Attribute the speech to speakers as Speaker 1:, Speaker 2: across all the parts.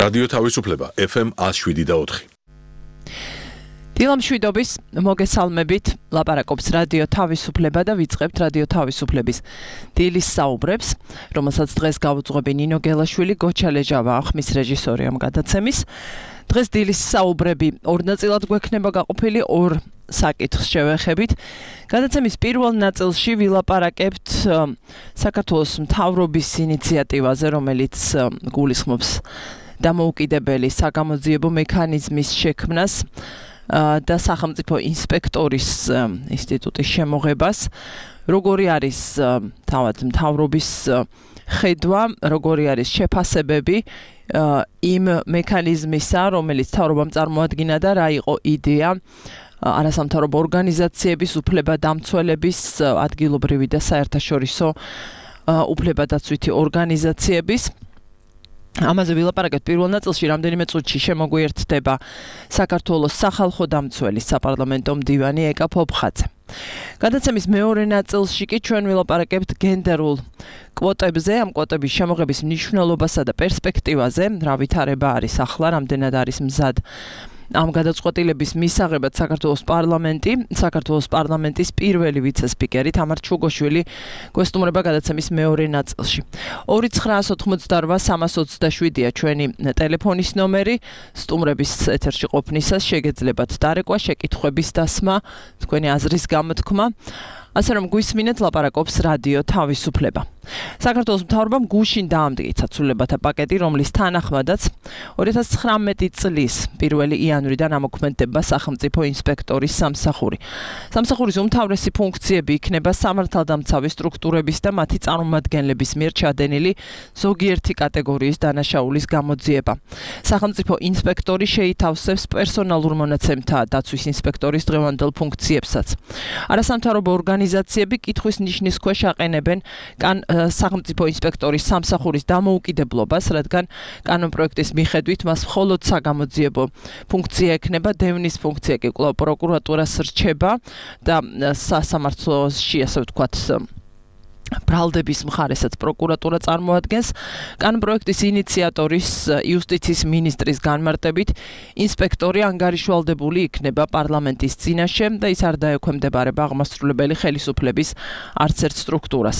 Speaker 1: რადიო თავისუფლება FM 107.4.
Speaker 2: დილამშვიდობის მოგესალმებით, ლაპარაკობს რადიო თავისუფლება და ვიწყებთ რადიო თავისუფლების დილის საუბრებს, რომელსაც დღეს გავუძღვები ნინო გელაშვილი, გოჩა ლეჟავა ახმის რეჟისორი ამ გადაცემის. დღეს დილის საუბრები ორ ნაწილად გვექნება გაყოფილი, ორ საკითხს შევეხებით. გადაცემის პირველ ნაწილში ვილაპარაკებთ საქართველოს მთავრობის ინიციატივაზე, რომელიც გულისხმობს დამოუკიდებელი საგამოძიებო მექანიზმის შექმნას და სახელმწიფო ინსპექტორის ინსტიტუტის შემოღებას. როგორი არის თავად მთავრობის ხედვა, როგორი არის შეფასებები იმ მექანიზმისა, რომელიც მთავრობამ წარმოადგინა და რა იყო იდეა არასამთავრობო ორგანიზაციების, უფლებადამცველების, ადგილობრივი და საერთაშორისო უფლებადაცვითი ორგანიზაციების. ამაზე ვილაპარაკებთ პირველ ნაწილში, რამდენიმე წუთში შემოგვიერთდება საქართველოს სახალხო დამცველის საპარლამენტო მდივანი ეკა ფოფხაძე. გადაცემის მეორე ნაწილში კი ჩვენ ვილაპარაკებთ გენდერულ კვოტებზე, ამ კვოტების შემოღების მნიშვნელობასა და პერსპექტივაზე, რა ვითარება არის ახლა, რამდენად არის მზად ამ გადაწყვეტილების მისაღებად საქართველოს პარლამენტის პირველი ვიცე-სპიკერი თამარ ჩუგოშვილი გვესტუმრება გადაცემის მეორე ნაწილში. 2988327-ია ჩვენი ტელეფონის ნომერი, სტუმრების ეთერში ყოფნისას შეგეძლებათ დარეკვა, შეკითხვების დასმა, თქვენი აზრის გამოთქმა. ასე რომ გვისმინეთ, ლაპარაკობს რადიო თავისუფლება. საქართველოს მთავრობამ გუშინ დაამტკიცა ცვლილებათა პაკეტი, რომლის თანახმადაც 2019 წლის 1 იანვრიდან ამოქმედდება სახელმწიფო ინსპექტორის სამსახური. სამსახურის უმთავრესი ფუნქციები იქნება სამართალდამცავი სტრუქტურების და მათი წარმომადგენლების მიერ ჩადენილი ზოგიერთი კატეგორიის დანაშაულის გამოძიება. სახელმწიფო ინსპექტორი შეითავსებს პერსონალურ მონაცემთა დაცვის ინსპექტორის დღევანდელ ფუნქციებსაც. არასამთავრობო ორგანიზაციები კითხვის ნიშნის ქვეშ აყენებენ სახელმწიფო ინსპექტორის სამსახურის დამოუკიდებლობას, რადგან კანონპროექტის მიხედვით მას მხოლოდ საგამოძიებო ფუნქცია ექნება, დევნის ფუნქცია კი კვლავ პროკურატურას რჩება და სასამართლოში, ასე ვთქვათ, ბრალდების მხარესაც პროკურატურა წარმოადგენს. კანონპროექტის ინიციატორის იუსტიციის მინისტრის განმარტებით ინსპექტორი ანგარიშვალდებული იქნება პარლამენტის წინაშე და ის არ დაექვემდებარება აღმასრულებელი ხელისუფლების არც ერთ სტრუქტურას.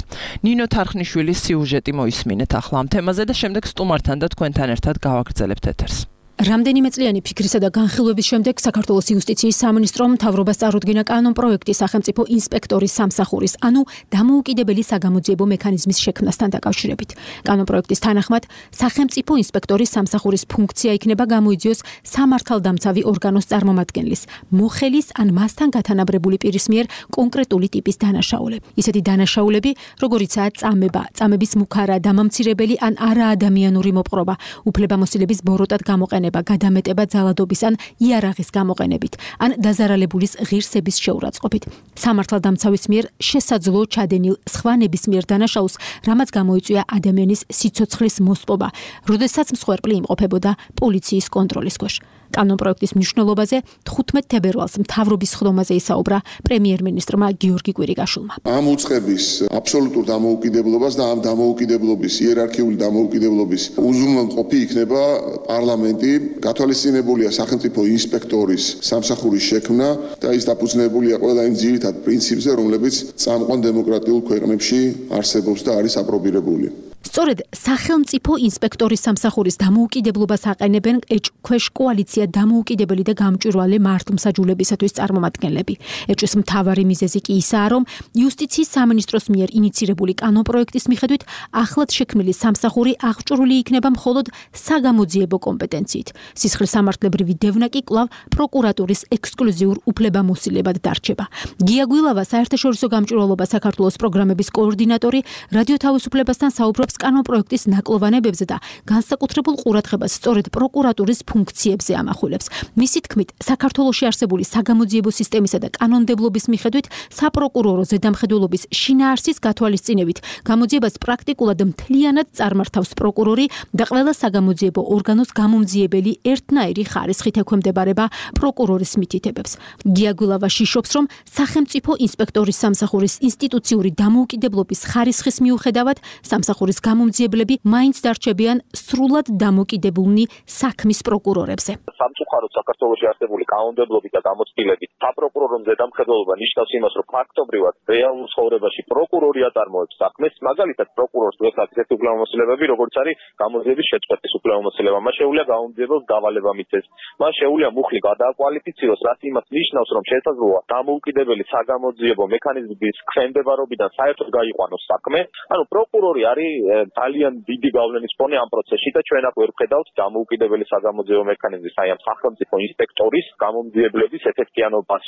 Speaker 2: ნინო თარხნიშვილის სიუჟეტი მოისმინეთ ახლა ამ თემაზე და შემდეგ სტუმართან და თქვენთან ერთად გავაგრძელებთ ეთერს.
Speaker 3: რამდენიმე წლიანი ფიქრისა და განხილვების შემდეგ საქართველოს იუსტიციის სამინისტრომ მთავრობას წარუდგინა კანონპროექტი სახელმწიფო ინსპექტორის სამსახურის, ანუ დამოუკიდებელი საგამოძიებო მექანიზმის შექმნასთან დაკავშირებით. კანონპროექტის თანახმად, სახელმწიფო ინსპექტორის სამსახურის ფუნქცია იქნება გამოიძიოს სამართალდამცავი ორგანოს წარმომადგენლის, მოხელის ან მასთან გათანაბრებული პირის მიერ კონკრეტული ტიპის დანაშაულები. ისეთი დანაშაულები, როგორიცაა წამება, წამების მუქარა, დამამცირებელი ან არაადამიანური მოპყრობა, უფლებამოსილების ბოროტად გამოყენება, გადამეტება ძალადობის ან იარაღის გამოყენებით, ან დაზარალებულის ღირსების შეურაცხყოფით. სამართალდამცავის მიერ შესაძლო ჩადენილ სხვა ნებისმიერ დანაშაულს, რამაც გამოიწვია ადამიანის სიცოცხლის მოსპობა, როდესაც მსხვერპლი იმყოფებოდა პოლიციის კონტროლის ქვეშ. კანონპროექტის მნიშვნელობაზე 15 თებერვალს მთავრობის ხდომაზე ისაუბრა პრემიერ-მინისტრმა გიორგი კვირიკაშვილმა.
Speaker 4: ამ უწყების აბსოლუტურ დამოუკიდებლობას და ამ დამოუკიდებლობის იერარქიული დამოუკიდებლობის უზრუნველყოფი იქნება პარლამენტი. გათვალისწინებულია სახელმწიფო ინსპექტორის სამსახურის შექმნა და ის დაფუძნებულია ყველა იმ ძირითად პრინციპზე, რომლებიც წამყვან დემოკრატიულ ქვეყნებში არსებობს და არის აპრობირებული.
Speaker 3: სწორედ სახელმწიფო ინსპექტორის სამსახურის დამოუკიდებლობას აყენებენ ეჭქვეშ კოალიცია დამოუკიდებელი და გამჭვირვალე მართლმსაჯულებისათვის წარმომადგენლები. ეჭვის მთავარი მიზეზი კი ისაა, რომ იუსტიციის სამინისტროს მიერ ინიცირებული კანონპროექტის მიხედვით ახლად შექმნილი სამსახური აღჭურვილი იქნება მხოლოდ საგამოძიებო კომპეტენციით. სისხლისამართლებრივი დევნა კი კვლავ პროკურატურის ექსკლუზიურ უფლებამოსილებად დარჩება. გია გვილავა, საერთაშორისო გამჭვირვალობა საქართველოს პროგრამების კოორდინატორი, რადიო თავისუფლებასთან საუბრობს კანონპროექტის ნაკლოვანებებზე და განსაკუთრებულ ყურადღებას სწორედ პროკურატურის ფუნქციებზე ამახვილებს. მისი თქმით, საქართველოში არსებული საგამოძიებო სისტემისა და კანონმდებლობის მიხედვით საპროკურორო ზედამხედველობის შინაარსის გათვალისწინებით გამოძიებას პრაქტიკულად მთლიანად წარმართავს პროკურორი და ყველა საგამოძიებო ორგანოს გამომძიებელი ერთნაირი ხარისხით ექვემდებარება პროკურორის მითითებებს. გია გვილავა შიშობს, რომ სახელმწიფო ინსპექტორის სამსახურის ინსტიტუციური დამოუკიდებლობის ხარისხის მიუხედავად სამსახურის გამომძიებლები მაინც დარჩებიან სრულად დამოკიდებულნი საქმის პროკურორებზე.
Speaker 5: სამწუხაროდ საქართველოში არსებული კანონმდებლობით და გამოცდილებით საპროკურორო მზედამხედველობა ნიშნავს იმას, რომ ფაქტობრივად რეალურ ცხოვრებაში პროკურორი აწარმოებს საქმეს, მაგალითად პროკურორს დღესაც ესეთი უფლებამოსილებები, როგორც არის გამოძიების შეწყვეტის უფლებამოსილება, მას შეუძლია გამომძიებელს დავალება მიცეს, მას შეუძლია მუხლი გადააკვალიფიციროს, რაც იმას ნიშნავს, რომ შესაძლოა დამოუკიდებელი საგამოძიებო მექანიზმის ქვემდებარობიდან საერთოდ გაიყვანოს საქმე. ანუ პროკურორი არის ძალიან დიდი გავლენის ფონი ამ პროცესში და ჩვენ აქ ვერ ვხედავთ დამოუკიდებელი საგამოძიებო მექანიზმის, აი ამ სახელმწიფო ინსპექტორის გამომძიებლების ეფექტიანობას.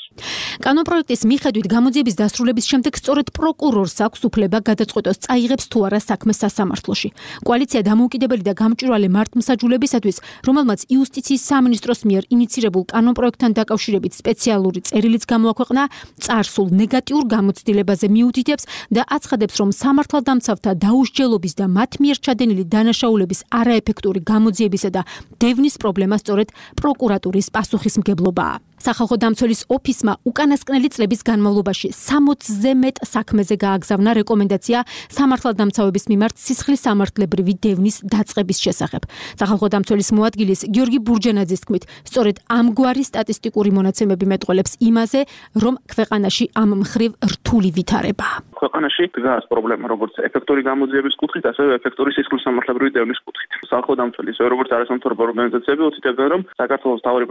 Speaker 3: კანონპროექტის მიხედვით გამოძიების დასრულების შემდეგ სწორედ პროკურორს აქვს უფლება გადაწყვეტოს წაიღებს თუ არა საქმეს სასამართლოში. კოალიცია დამოუკიდებელი და გამჭვირვალე მართლმსაჯულებისათვის, რომელმაც იუსტიციის სამინისტროს მიერ ინიცირებულ კანონპროექტთან დაკავშირებით სპეციალური წერილიც გამოაქვეყნა, წარსულ ნეგატიურ გამოცდილებაზე მიუთითებს და აცხადებს, რომ სამართალდამცავთა დაუსჯელობის და მათ მიერ ჩადენილი დანაშაულების არაეფექტური გამოძიებისა და დევნის პრობლემა სწორედ პროკურატურის პასუხისმგებლობაა. სახალხო დამცველის ოფისმა უკანასკნელი წლების განმავლობაში 60-ზე მეტ საქმეზე გააგზავნა რეკომენდაცია სამართალდამცავების მიმართ სისხლის სამართლებრივი დევნის დაწყების შესახებ. სახალხო დამცველის მოადგილის გიორგი ბურჯენაძის თქმით, სწორედ ამგვარი სტატისტიკური მონაცემები მეტყველებს იმაზე, რომ ქვეყანაში ამ მხრივ რთული ვითარებაა.
Speaker 6: ქვეყანაში დგას პრობლემა როგორც ეფექტური გამოძიების კუთხით, ასევე ეფექტური სისხლის სამართლებრივი დევნის კუთხით. სახალხო დამცველის როგორც არასამთავრობო ორგანიზაციები უთითებენ, რომ საქართველოს მთავარი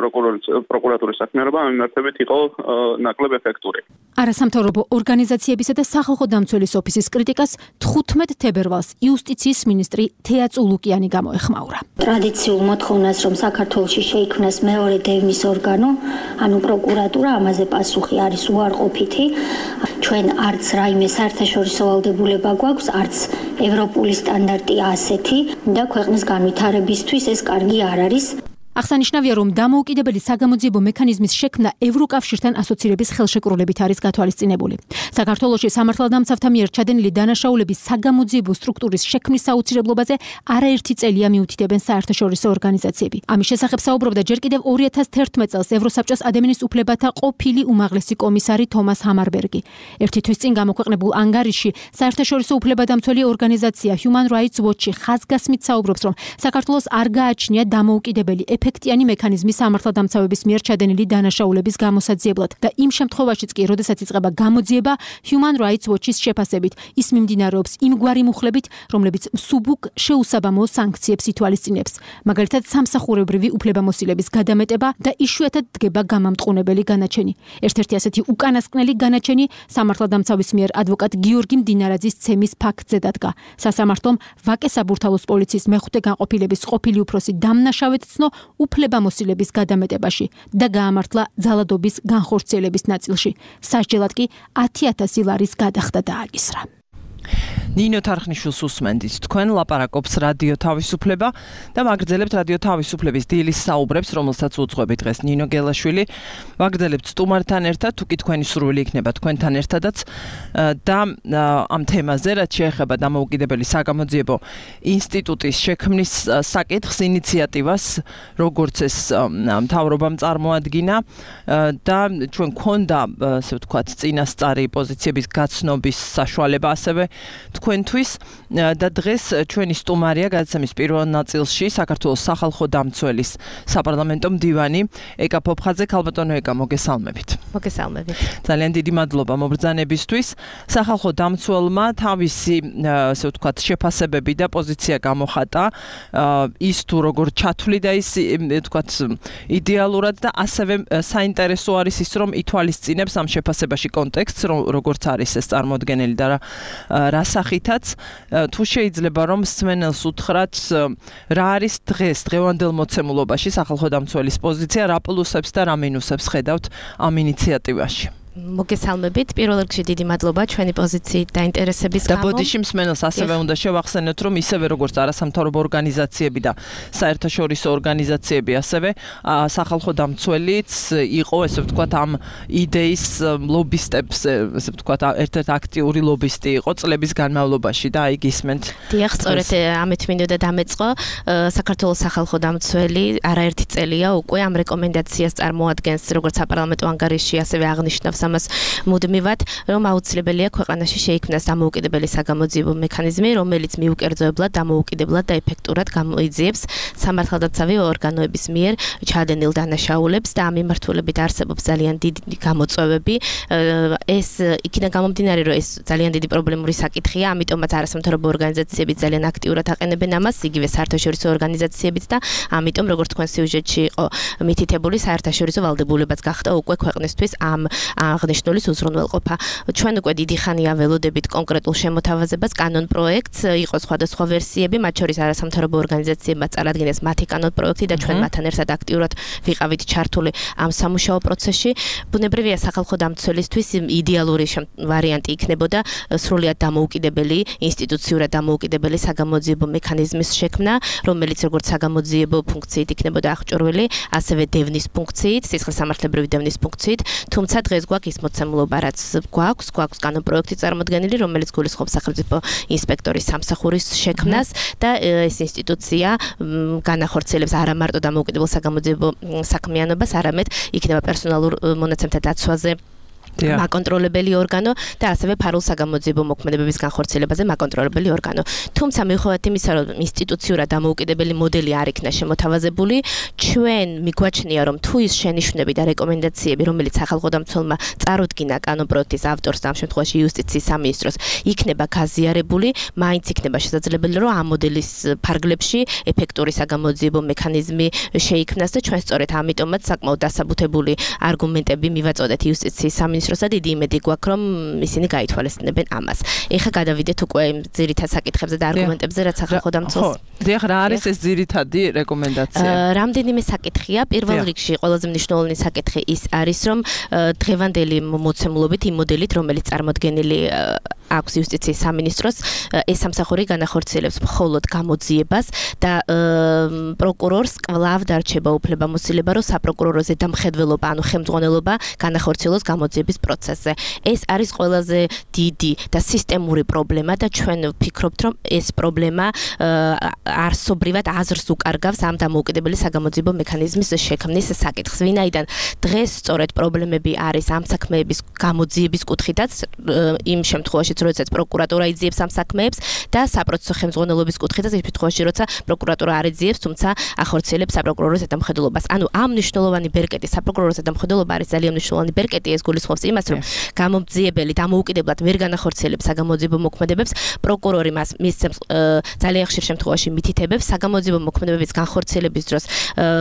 Speaker 6: პროკურატურის საქმიანობა ამ მიმართებით იყო ნაკლებ ეფექტური.
Speaker 3: არასამთავრობო ორგანიზაციებისა და სახალხო დამცველის ოფისის კრიტიკას 15 თებერვალს იუსტიციის მინისტრი თეა წულუკიანი გამოეხმაურა.
Speaker 7: ტრადიციულ მოთხოვნას, რომ საქართველოში შეიქმნას მეორე დევნის ორგანო, ანუ პროკურატურა, ამაზე პასუხი არის უარყოფითი. ჩვენ არც რაიმე საერთაშორისო ვალდებულება გვაქვს, არც ევროპული სტანდარტი ასეთი და ქვეყნის განვითარებისთვის ეს კარგი არ არის.
Speaker 3: აღსანიშნავია, რომ დამოუკიდებელი საგამოძიებო მექანიზმის შექმნა ევროკავშირთან ასოცირების ხელშეკრულებით არის გათვალისწინებული. საქართველოში სამართალდამცავთა მიერ ჩადენილი დანაშაულების საგამოძიებო სტრუქტურის შექმნის საუცილებლობაზე არაერთი წელია მიუთითებენ საერთაშორისო ორგანიზაციები. ამის შესახებ საუბრობდა ჯერ კიდევ 2011 წელს ევროსაბჭოს ადამიანის უფლებათა ყოფილი უმაღლესი კომისარი თომას ჰამარბერგი. ერთი თვის წინ გამოქვეყნებულ ანგარიშში საერთაშორისო უფლებადამცველი ორგანიზაცია Human Rights Watch-ი ხაზგასმით საუბრობს, რომ საქართველოს არ გააჩნია დამოუკიდებელი ეფექტიანი მექანიზმი სამართალდამცავების მიერ ჩადენილი დანაშაულების გამოსაძიებლად და იმ შემთხვევაშიც კი, როდესაც იწყება გამოძიება, Human Rights Watch-ის შეფასებით, ის მიმდინარეობს იმგვარი მუხლებით, რომლებიც მსუბუქ შეუსაბამო სანქციებს ითვალისწინებს. მაგალითად, სამსახურებრივი უფლებამოსილების გადამეტება და იშვიათად დგება გამამტყუნებელი განაჩენი. ერთ-ერთი ასეთი უკანასკნელი განაჩენი სამართალდამცავის მიერ ადვოკატ გიორგი მდინარაძის ცემის ფაქტზე დადგა. სასამართლომ ვაკე საბურთალოს პოლიციის მეხუთე განყოფილების ყოფილი უფროსი დამნაშავედ ცნო უფლებამოსილების გადამეტებაში და გაამართლა ძალადობის განხორციელების ნაწილში. სასჯელად კი 10,000 ლარის გადახდა დააკისრა.
Speaker 2: ნინო თარხნიშვილს უსმენდით, თქვენ ლაპარაკობს რადიო თავისუფლება და მაგრძელებთ რადიო თავისუფლების დილის საუბრებს, რომელსაც უძღვებით დღეს ნინო გელაშვილი. მაგრძელებთ სტუმართან ერთად, თუ კი თქვენი სურვილი იქნება თქვენთან ერთადაც და ამ თემაზე, რაც შეეხება დამოუკიდებელი საგამოძიებო ინსტიტუტის შექმნის საკითხს, ინიციატივას, როგორც ეს მთავრობამ წარმოადგინა და ჩვენ გქონდა, ასე ვთქვათ, წინასწარი პოზიციების გაცნობის საშუალება ასევე თქვენთვის და დღეს ჩვენი სტუმარია გადაცემის პირველ ნაწილში საქართველოს სახალხო დამცველის საპარლამენტო მდივანი ეკა ფოფხაძე. ქალბატონო ეკა, მოგესალმებით.
Speaker 8: მოგესალმებით.
Speaker 2: ძალიან დიდი მადლობა მობრძანებისთვის. სახალხო დამცველმა თავისი, ასე ვთქვათ, შეფასებები და პოზიცია გამოხატა, ის თუ როგორ ჩათვლიდა ის, ვთქვათ, იდეალურად და ასევე საინტერესო არის ის, რომ ითვალისწინებს ამ შეფასებაში კონტექსტს, როგორც არის ეს წარმოდგენილი და რა სახითაც, თუ შეიძლება რომ მსმენელს უთხრათ, რა არის დღევანდელ მოცემულობაში სახალხო დამცველის პოზიცია, რა პლუსებს და რა მინუსებს ხედავთ ამ ინიციატივაში.
Speaker 8: მოგესალმებით. პირველ რიგში დიდი მადლობა ჩვენი პოზიციით და ინტერესების გამო.
Speaker 2: და ბოდიში მსმენელს ასევე უნდა შევახსენოთ, რომ ისევე როგორც არასამთავრობო ორგანიზაციები და საერთაშორისო ორგანიზაციები, ასევე სახალხო დამცველიც იყო, ესე ვთქვათ, ამ იდეის ლობისტებს, ესე ვთქვათ, ერთ-ერთი აქტიური ლობისტი იყო წლების განმავლობაში და აი გისმენთ.
Speaker 8: დიახ, სწორედ ამით მინდოდა დამეწყო. საქართველოს სახალხო დამცველი არაერთი წელია უკვე ამ რეკომენდაციას წარმოადგენს, როგორც საპარლამენტო ანგარიში, ასევე აღნიშნავს აკეთებს ამას მუდმივად, რომ აუცილებელია ქვეყანაში შეიქმნას დამოუკიდებელი საგამოძიებო მექანიზმი, რომელიც მიუკერძოებლად, დამოუკიდებლად და ეფექტურად გამოიძიებს სამართალდაცავი ორგანოების მიერ ჩადენილ დანაშაულებს და ამ მიმართულებით არსებობს ძალიან დიდი გამოწვევები. ეს იქიდან გამომდინარე, რომ ეს ძალიან დიდი პრობლემური საკითხია, ამიტომაც არასამთავრობო ორგანიზაციები ძალიან აქტიურად აყენებენ ამას, იგივე საერთაშორისო ორგანიზაციებიც და ამიტომ როგორც თქვენ სიუჟეტში იყო მითითებული, საერთაშორისო ვალდებულებაც გახდა უკვე ქვეყნისთვის ამ აღნიშნულის უზრუნველყოფა. ჩვენ უკვე დიდი ხანია ველოდებით კონკრეტულ შემოთავაზებას, კანონ პროექტს, იყო სხვადასხვა ვერსიები, მათ შორის არასამთავრობო ორგანიზაციებმა წარადგინეს მათი კანონ პროექტი და ჩვენ მათთან ერთად აქტიურად ვიყავით ჩართული ამ სამუშაო პროცესში. ბუნებრივია სახალხო დამცველისთვის იდეალური ვარიანტი იქნებოდა სრულიად დამოუკიდებელი, ინსტიტუციურად დამოუკიდებელი საგამოძიებო მექანიზმის შექმნა, რომელიც როგორც საგამოძიებო ფუნქციით იქნებოდა აღჭურვილი, ასევე დევნის ფუნქციით, სისხლისამართლებრივი დევნის ფუნქციით, თუმცა დღეს გვაქვს ის მოცემულობა, რაც გვაქვს კანონ პროექტი წარმოდგენილი, რომელიც გულისხმობს სახელმწიფო ინსპექტორის სამსახურის შექმნას და ეს ინსტიტუცია განახორციელებს არა მარტო დამოუკიდებელ საგამოძიებო საქმიანობას, არამედ იქნება პერსონალურ მონაცემთა დაცვაზე მაკონტროლებელი ორგანო და ასევე ფარულ საგამოძიებო მოქმედებების განხორციელებაზე მაკონტროლებელი ორგანო. თუმცა მიუხედავად იმისა, რომ ინსტიტუციურად დამოუკიდებელი მოდელი არ იქნა შემოთავაზებული, ჩვენ მიგვაჩნია, რომ თუ ის შენიშვნები და რეკომენდაციები, რომელიც სახალხო დამცველმა წარუდგინა კანონ პროექტის ავტორს და ამ შემთხვევაში იუსტიციის სამინისტროს, იქნება გაზიარებული, მაინც იქნება შესაძლებელი, რომ ამ მოდელის ფარგლებში ეფექტური საგამოძიებო მექანიზმი შეიქმნას და ჩვენ სწორედ ამიტომაც საკმაოდ დასაბუთებული არგუმენტები მივაწოდეთ იუსტიციის სამინისტროს და დიდი იმედი გვაქვს, რომ ისინი გაითვალისწინებენ ამას. ეხლა გადავიდეთ უკვე ძირითად საკითხებზე და არგუმენტებზე, რაც სახალხო დამცველს.
Speaker 2: დიახ, რა არის ეს ძირითადი რეკომენდაცია?
Speaker 8: რამდენიმე საკითხია. პირველ რიგში ყველაზე მნიშვნელოვანი საკითხი ის არის, რომ დღევანდელი მოცემულობით იმ მოდელით, რომელიც წარმოდგენილი აქვს იუსტიციის სამინისტროს, ეს სამსახური განახორციელებს მხოლოდ გამოძიებას და პროკურორს კვლავ დარჩება უფლებამოსილება, რომ საპროკურორო ზედამხედველობა, ანუ ხელმძღვანელობა განახორციელოს გამოძიების პროცესზე. ეს არის ყველაზე დიდი და სისტემური პრობლემა და ჩვენ ვფიქრობთ, რომ ეს პრობლემა არსობრივად აზრს უკარგავს ამ დამოუკიდებელი საგამოძიებო მექანიზმის შექმნის საკითხს. ვინაიდან დღეს სწორედ პრობლემები არის ამ საქმეების გამოძიების კუთხითაც, იმ შემთხვევაში, როდესაც პროკურატურა იძიებს ამ საქმეებს და საპროცესო ხელმძღვანელობის კუთხითაც, იმ შემთხვევაში, როცა პროკურატურა არ იძიებს, თუმცა ახორციელებს საპროკურორო ზედამხედველობას. ანუ ამ მნიშვნელოვანი ბერკეტი, საპროკურორო ზედამხედველობა არის ძალიან მნიშვნელოვანი ბერკეტი, ეს გულისხმობს იმას, რომ გამომძიებელი დამოუკიდებლად ვერ განახორციელებს საგამოძიებო მოქმედებებს, პროკურორი მისცემს ძალიან ხშირ შემთხვევაში მითითებებს საგამოძიებო მოქმედებების განხორციელების დროს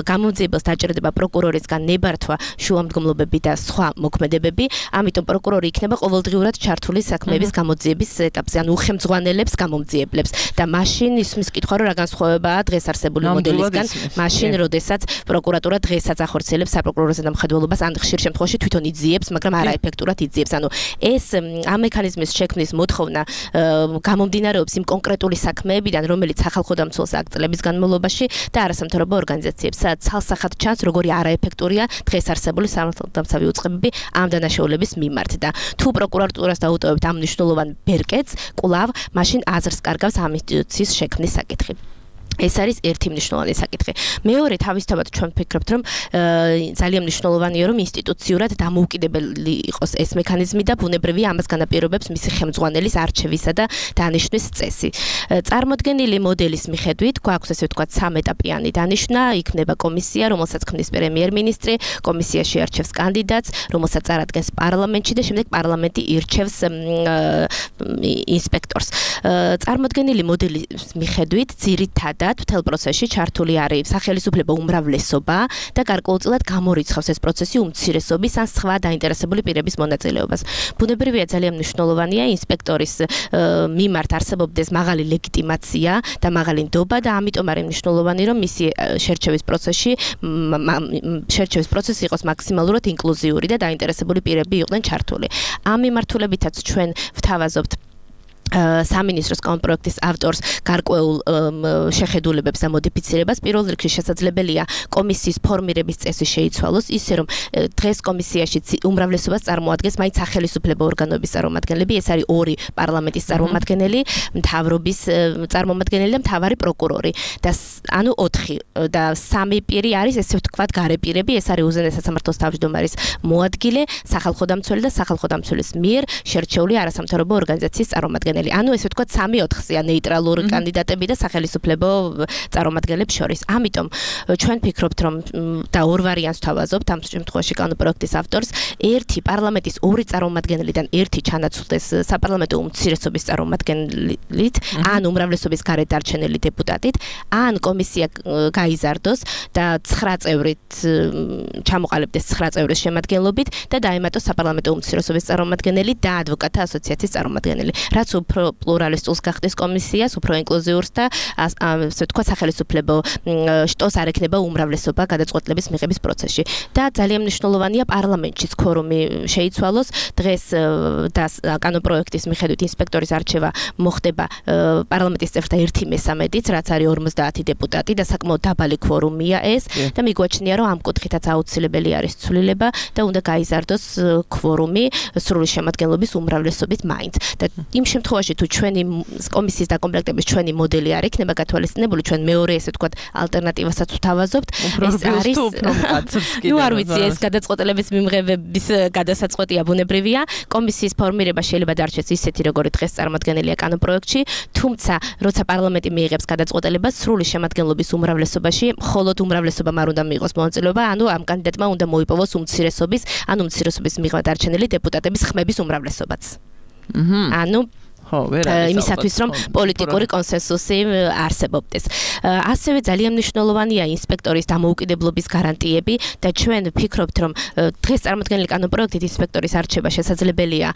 Speaker 8: გამომძიებელს დაჭირდება პროკურორისგან ნებართვა, შუამდგომლობები და სხვა მოქმედებები, ამიტომ პროკურორი იქნება ყოველდღიურად ჩართული საქმეების გამოძიების ეტაპზე, ანუ უხელმძღვანელებს გამომძიებლებს და მაშინ ისმის კითხვა, რომ რა განსხვავებაა დღეს არსებული მოდელისგან, მაშინ როდესაც პროკურატურა დღესაც ახორციელებს საპროკურორო ზედამხედველობას, ან ხშირ შემთხვევაში თვითონ იძიებს, მაგრამ არაეფექტურად იძიებს. ანუ ეს ამ მექანიზმის შექმნის მოთხოვნა გამომდინარეობს იმ კონკრეტული საქმეებიდან, რომელიც სახალხო დამცველს აქ წლების განმავლობაში და არასამთავრობო ორგანიზაციებს, სადაც ცალსახად ჩანს, როგორი არაეფექტურია დღეს არსებული სამართალდამცავი უწყებები ამ დანაშაულების მიმართ და თუ პროკურატურას დაუტოვებთ ამ მნიშვნელოვან ბერკეტს, კვლავ მაშინ აზრს კარგავს ამ ინსტიტუციის შექმნის საკითხი. ეს არის ერთი მნიშვნელოვანი საკითხი. მეორე, თავისთავად ჩვენ ვფიქრობთ, რომ ძალიან მნიშვნელოვანია, რომ ინსტიტუციურად დამოუკიდებელი იყოს ეს მექანიზმი და ბუნებრივია ამას განაპირობებს მისი ხელმძღვანელის არჩევისა და დანიშვნის წესი. წარმოდგენილი მოდელის მიხედვით, გვაქვს ესე ვთქვათ, სამეტაპიანი დანიშვნა, იქნება კომისია, რომელსაც ქმნის პრემიერ-მინისტრი, კომისიაში არჩევს კანდიდატს, რომელსაც წარადგენს პარლამენტში და შემდეგ პარლამენტი ირჩევს ინსპექტორს. წარმოდგენილი მოდელის მიხედვით, ძირითადად მთელ პროცესში ჩართული არის სახელისუფლებო უმრავლესობა და გარკვეულწილად გამორიცხავს ეს პროცესი უმცირესობის ან სხვა დაინტერესებული პირების მონაწილეობას. ბუნებრივია ძალიან მნიშვნელოვანია ინსპექტორის მიმართ არსებობდეს მაღალი ლეგიტიმაცია და მაღალი ნდობა და ამიტომ არის მნიშვნელოვანი, რომ მისი შერჩევის პროცესი იყოს მაქსიმალურად ინკლუზიური და დაინტერესებული პირები იყვნენ ჩართული. ამ მიმართულებითაც ჩვენ ვთავაზობთ სამინისტროს კანონპროექტის ავტორს გარკვეულ შეხედულებებს და მოდიფიცირებას პირველ რიგში შესაძლებელია კომისიის ფორმირების წესი შეიცვალოს ისე რომ დღეს კომისიაში უმრავლესობას წარმოადგენს მაინც სახელმწიფო ორგანოების წარმომადგენლები ეს არის ორი პარლამენტის წარმომადგენელი მთავრობის წარმომადგენელი და მთავარი პროკურორი და ანუ 4 და 3 პირი არის ესე ვთქვათ გარეპირები ეს არის უზენაესად სამართლის თავმჯდომარის მოადგილე სახალხო დამცველი და სახალხო დამცველის მიერ შერჩეული არასამთავრობო ორგანიზაციის წარმომადგენელი ანუ ესე ვთქვათ 3/4-ია ნეიტრალური კანდიდატები და სახელმწიფო წარმომადგენლებს შორის. ამიტომ ჩვენ ვფიქრობთ რომ და ორ ვარიანტს თავაზობთ ამ შემთხვევაში კანონპროექტის ავტორს ერთი პარლამენტის ორი წარმომადგენლიდან ერთი ჩანაცვლდეს საპარლამენტო უმცირესობის წარმომადგენლით ან უმრავლესობის გარეთ დარჩენილი დეპუტატით ან კომისია გაიზარდოს და 9 წევრით ჩამოყალიბდეს 9 წევრის შემადგენლობით და დაემატოს საპარლამენტო უმცირესობის წარმომადგენელი და ადვოკატთა ასოციაციის წარმომადგენელი. რაც უფრო პლურალისტულს გახდეს კომისიას, უფრო ინკლუზიურს და ასე ვთქვათ სახელმწიფო შტოს არ ექნება უმრავლესობა გადაწყვეტილების მიღების პროცესში. და ძალიან მნიშვნელოვანია პარლამენტშიც ქორუმი შეიცვალოს. დღეს და კანონპროექტის მიხედვით ინსპექტორის არჩევა მოხდება პარლამენტის წევრთა 1/3-ით, რაც არის 50 დეპუტატი და საკმაოდ დაბალი ქორუმია ეს და მიგვაჩნია რომ ამ კუთხითაც აუცილებელი არის ცვლილება და უნდა გაიზარდოს ქორუმი სრული შემადგენლობის უმრავლესობით მაინც. და იმ შემთხვევაში თუ ჩვენი კომისიის დაკომპლექტების ჩვენი მოდელი არ იქნება გათვალისწინებული ჩვენ მეორე ესე ვთქვათ ალტერნატივასაც ვთავაზობთ ეს არის ნუ არ ვიცი ეს გადაწყვეტილების მიმღებების გადასაწყვეტია ბუნებრივია კომისიის ფორმირება შეიძლება დარჩეს ისეთი როგორი დღეს წარმოადგენელია კანონპროექტში თუმცა როცა პარლამენტი მიიღებს გადაწყვეტილებას სრული შემადგენლობის უმრავლესობაში მხოლოდ უმრავლესობამ არ უნდა მიიღოს მონაწილეობა ანუ ამ კანდიდატმა უნდა მოიპოვოს უმცირესობის ანუ უმცირესობის მიღება დარჩენილი დეპუტატების ხმების უმრავლესობაც ანუ იმისათვის რომ პოლიტიკური კონსენსუსი არსებობდეს. ასევე ძალიან მნიშვნელოვანია ინსპექტორის დამოუკიდებლობის გარანტიები და ჩვენ ვფიქრობთ რომ დღეს წარმოქმნილი კანონპროექტით ინსპექტორის არჩევა შესაძლებელია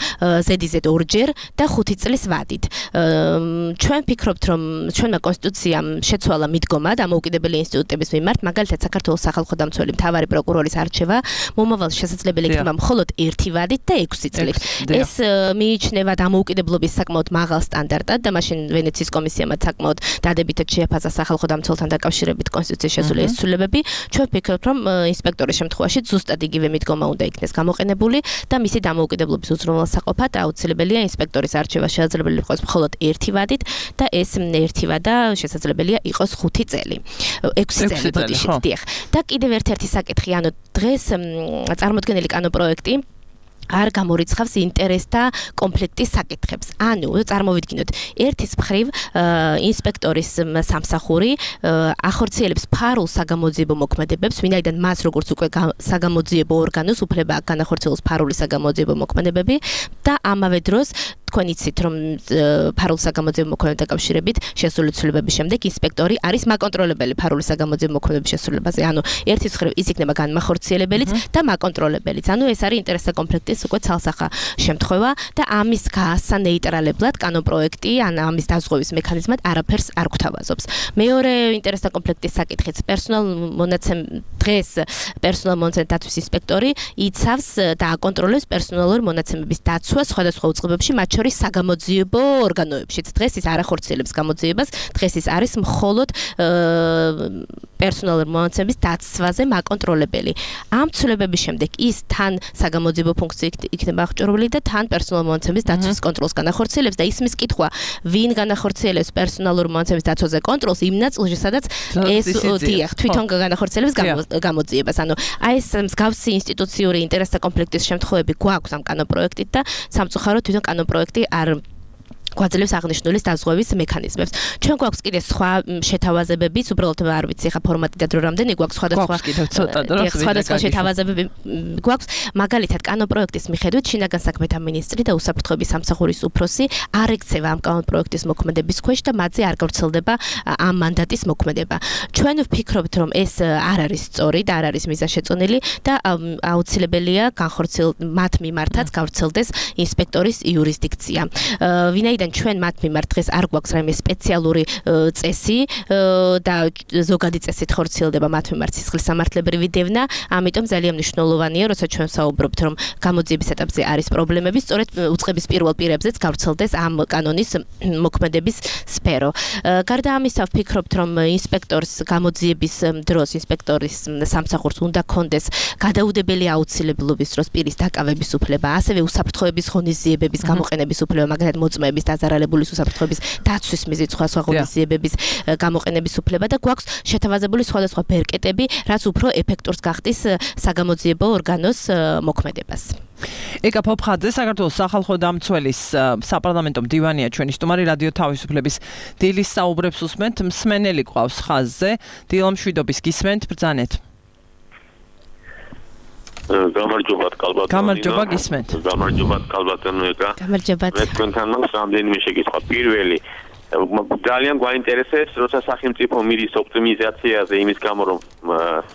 Speaker 8: ზედიზედ 2-ჯერ და 5 წლის ვადით. ჩვენ ვფიქრობთ რომ ჩვენმა კონსტიტუციამ შეცვალა მიდგომა დამოუკიდებელი ინსტიტუტების მიმართ, მაგალითად საქართველოს სახალხო დამცველი მთავარი პროკურორის არჩევა მომავალში შესაძლებელი იქნება მხოლოდ 1 ვადით და 6 წლით. ეს მიიჩნევა დამოუკიდებლობის საკმაოდ მაღალ სტანდარტად და მაშინ ვენეციის კომისიამ საკმაოდ დადებითად შეაფასა სახალხო დამცველთან დაკავშირებით კონსტიტუციის შესული ეს ცვლილებები. ჩვენ ვფიქრობთ რომ ინსპექტორის შემთხვევაში ზუსტად იგივე მიდგომა უნდა იქნეს გამოყენებული და მისი დამოუკიდებლობის უზრუნველსაყოფად აუცილებელია ინსპექტორის არჩევა შესაძლებელი იყოს მხოლოდ 1 ვადით და ეს 1 ვადა შესაძლებელია იყოს 5 წელი. 6 წელი ბოდიში დიახ. და კიდევ ერთ-ერთი საკითხი ანუ დღეს წარმოქმნილი კანონპროექტი არ გამორიცხავს ინტერესთა კონფლიქტის საკითხებს. ანუ წარმოვიდგინოთ, ერთის მხრივ ინსპექტორის სამსახური ახორციელებს ფარულ საგამოძიებო მოქმედებებს, ვინაიდან მას როგორც უკვე საგამოძიებო ორგანოს უფლება აქვს განახორციელოს ფარული საგამოძიებო მოქმედებები და ამავე დროს თქვენ იცით რომ ფარულ საგამოძიებო მოქმედებებთან დაკავშირებით შესული ცვლილებების შემდეგ ინსპექტორი არის მაკონტროლებელი ფარული საგამოძიებო მოქმედებების შესრულებაზე. ანუ ერთის მხრივ ის იქნება განმახორციელებელიც და მაკონტროლებელიც. ანუ ეს არის ინტერესთა კონფლიქტის უკვე ცალსახა შემთხვევა და ამის გაასა ნეიტრალებლად კანონპროექტი ან ამის დაზღვევის მექანიზმად არაფერს არ გვთავაზობს. მეორე ინტერესთა კონფლიქტის საკითხიც დღეს პერსონალ მონაცემების დაცვის ინსპექტორი იცავს და აკონტროლებს პერსონალური მონაცემების დაცვას სხვადასხვა უწყებებში მათ შორის საგამოძიებო ორგანოებშიც. დღეს ის არ ახორციელებს გამოძიებას, დღეს ის არის მხოლოდ პერსონალური მონაცემების დაცვაზე მაკონტროლებელი. ამ ცვლილებების შემდეგ ის თან საგამოძიებო ფუნქცია იქნება აღჭურვილი და თან პერსონალურ მონაცემების დაცვის კონტროლს განახორციელებს და ისმის კითხვა, ვინ განახორციელებს პერსონალურ მონაცემების დაცვაზე კონტროლს იმ ნაწილში, სადაც ეს თვითონ განახორციელებს გამოძიებას. ანუ აი ეს მსგავსი ინსტიტუციური ინტერესთა კონფლიქტის შემთხვევები გვაქვს ამ კანონპროექტით და სამწუხაროდ თვითონ კანონპროექტი არ გვაძლევს აღნიშნულის დაზღვევის მექანიზმებს. ჩვენ გვაქვს კიდე სხვა შეთავაზებებიც, უბრალოდ არ ვიცი ხა ფორმატი და დრო რამდენი გვაქვს სხვადასხვა შეთავაზებები გვაქვს. მაგალითად, კანონპროექტის მიხედვით შინაგან საქმეთა მინისტრი და უსაფრთხოების სამსახურის უფროსი არ ექცევა ამ კანონპროექტის მოქმედების ქვეშ და მათზე არ გავრცელდება ამ მანდატის მოქმედება. ჩვენ ვფიქრობთ, რომ ეს არ არის სწორი და არ არის მიზანშეწონილი და აუცილებელია მათ მიმართაც გავრცელდეს ინსპექტორის იურისდიქცია. ვინაიდან ვინაიდან ჩვენ მათ მიმართ დღეს არ გვაქვს რაიმე სპეციალური წესი და ზოგადი წესით ხორციელდება მათ მიმართ სისხლის სამართლებრივი დევნა, ამიტომ ძალიან მნიშვნელოვანია, როცა ჩვენ ვსაუბრობთ, რომ გამოძიების ეტაპზე არის პრობლემები, სწორედ უწყების პირველ პირებზეც გავრცელდეს ამ კანონის მოქმედების სფერო. გარდა ამისა, ვფიქრობთ, რომ ინსპექტორის გამოძიების დროს ინსპექტორის სამსახურს უნდა კონდეს გადაუდებელი აუცილებლობის დროს პირის დაკავების უფლება, ასევე უსაფრთხოების ღონისძიებების გამოყენების უფლება, მაგალითად მოწმეების დაზარალებული უსაფრთხოების დაცვის მიზნით სხვა ღონისძიებების გამოყენების უფლება და გვაქვს შეთავაზებული სხვადასხვა ბერკეტები, რაც უფრო ეფექტურს გახდის საგამოძიებო ორგანოს მოქმედებას.
Speaker 2: ეკა ფოფხაძე, საქართველოს სახალხო დამცველის საპარლამენტო მდივანია ჩვენი სტუმარი, რადიო თავისუფლების დილის საუბრებს უსმენთ, მსმენელი ყავს ხაზზე, დილომშვიდობის გისმენთ, ბრძანეთ.
Speaker 9: გამარჯობათ კალბატონო.
Speaker 2: გამარჯობა გისმენთ.
Speaker 9: გამარჯობათ კალბატონო ეკა.
Speaker 8: გამარჯობათ.
Speaker 9: მე თქვენთან მაქვს რამდენიმე შეკითხვა. პირველი, ძალიან გვაინტერესებს, როცა სახელმწიფო მიდის ოპტიმიზაციაზე იმის გამო, რომ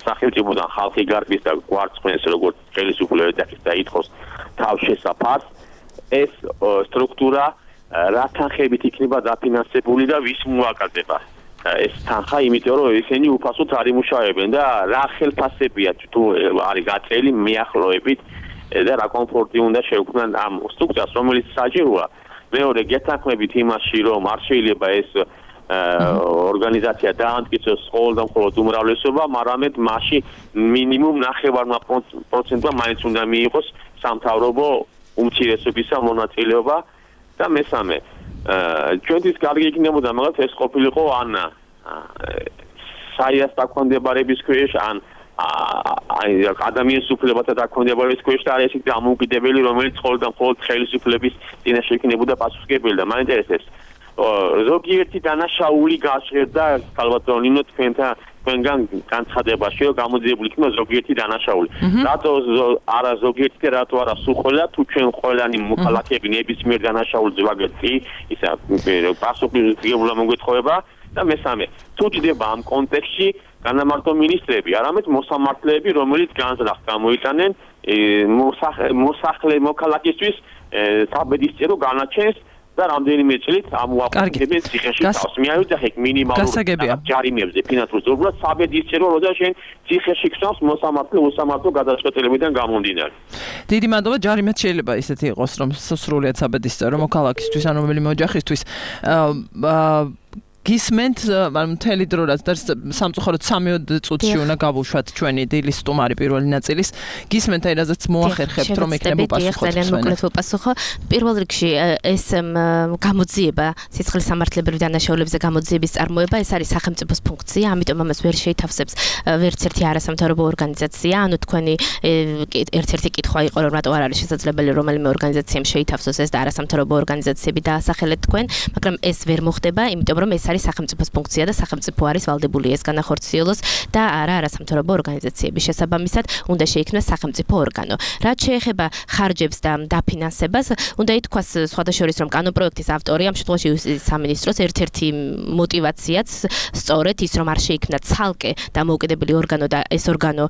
Speaker 9: სახელმწიფოდან ხალხი გარბის და გვარცხნეს როგორც ხელისუფლება და ითხოვს თავშესაფარს, ეს სტრუქტურა რა თანხებით იქნება დაფინანსებული და ვის მოაკაზება? ეს თანხა, იმიტომ რომ ისინი უფასოდ არ იმუშავებენ და რა ხელფასებია თუ არის გაწელი მიახლოებით და რა კომფორტი უნდა შეუქმნან ამ სტრუქტურას, რომელიც საჭიროა. მეორე გეთანხმებით იმაში, რომ არ შეიძლება ეს ორგანიზაცია დაამტკიცოს მხოლოდ და მხოლოდ უმრავლესობა, მაგრამ მასში მინიმუმ 9% მაინც უნდა მიიღოს სამთავრობო უმცირესობისა მონაწილეობა და მესამე ჩვენთვის კარგი იქნებოდა მაგალითად ეს ყოფილიყო ან საიას დაქვემდებარების ქვეშ ან ადამიანის უფლებათა დაქვემდებარების ქვეშ და არის ისეთი დამოუკიდებელი, რომელიც მხოლოდ და მხოლოდ ხელისუფლების წინაშე იქნებოდა პასუხისმგებელი და მაინტერესებს ზოგიერთი დანაშაული გაჟღერდა კალბატონინო თქვენგან განცხადებაში, რომ გამოძიებული იქნება ზოგიერთი დანაშაული. რატო არა ზოგიერთი და რატო არა სულ ყველა, თუ ჩვენ ყველანი მოქალაქეები ნებისმიერ დანაშაულს ვაგებთ, ისა პასუხისმგებლობა მოგვეთხოვება და მესამე, თუ ჯდება ამ კონტექსტში განამარტო მინისტრები, არამედ მოსამართლეები, რომელიც განზრახ გამოიტანენ მოსახლე მოქალაქისთვის საბედისწერო განაჩენს და რამდენიმე წლით ამოაყენებენ ციხეში თავს. მიავიდეთ ეგ მინიმალურ ჯარიმებზე ფინანსურ ზოგადად საბედისწერო როცა შენ ციხეში ხსნავს მოსამართლე გადაწყვეტილებიდან გამომდინარე.
Speaker 2: დიდი მადლობა, ჯარიმაც შეიძლება ისეთი იყოს, რომ სრულიად საბედისწერო მოქალაქისთვის ან რომელიმე ოჯახისთვის გისმენთ, მთელი დრო რაც სამწუხაროდ 3 წუთში უნდა გავუშვათ ჩვენი დილის სტუმარი პირველი ნაწილის. გისმენთ აი რაზეც მოახერხებთ, რომ ეკნებო პასუხო.
Speaker 8: ძალიან მოკლედ ვუპასუხო. პირველ რიგში ეს გამოძიება, სისხლის სამართლებრივი დანაშაულებზე გამოძიების წარმოება, ეს არის სახელმწიფოს ფუნქცია, ამიტომ ამას ვერ შეითავსებს ვერც ერთი არასამთავრობო ორგანიზაცია. ანუ თქვენი ერთ-ერთი კითხვა იყო, რომ რატო არ არის შესაძლებელი რომელიმე ორგანიზაციამ შეითავსოს ეს და არასამთავრობო ორგანიზაციები დაასახელეთ თქვენ, მაგრამ ეს ვერ მოხდება, იმიტომ რომ ეს არის სახელმწიფოს ფუნქცია და სახელმწიფო არის ვალდებული ეს განახორციელოს და არა არასამთავრობო ორგანიზაციების შესაბამისად უნდა შეიქმნას სახელმწიფო ორგანო. რაც შეეხება ხარჯებს და დაფინანსებას, უნდა ითქვას სხვადასხვა რომ კანონპროექტის ავტორი ამ შემთხვევაში სამინისტროს ერთ-ერთი მოტივაციაც სწორედ ის რომ არ შეიქმნა ცალკე დამოუკიდებელი ორგანო და ეს ორგანო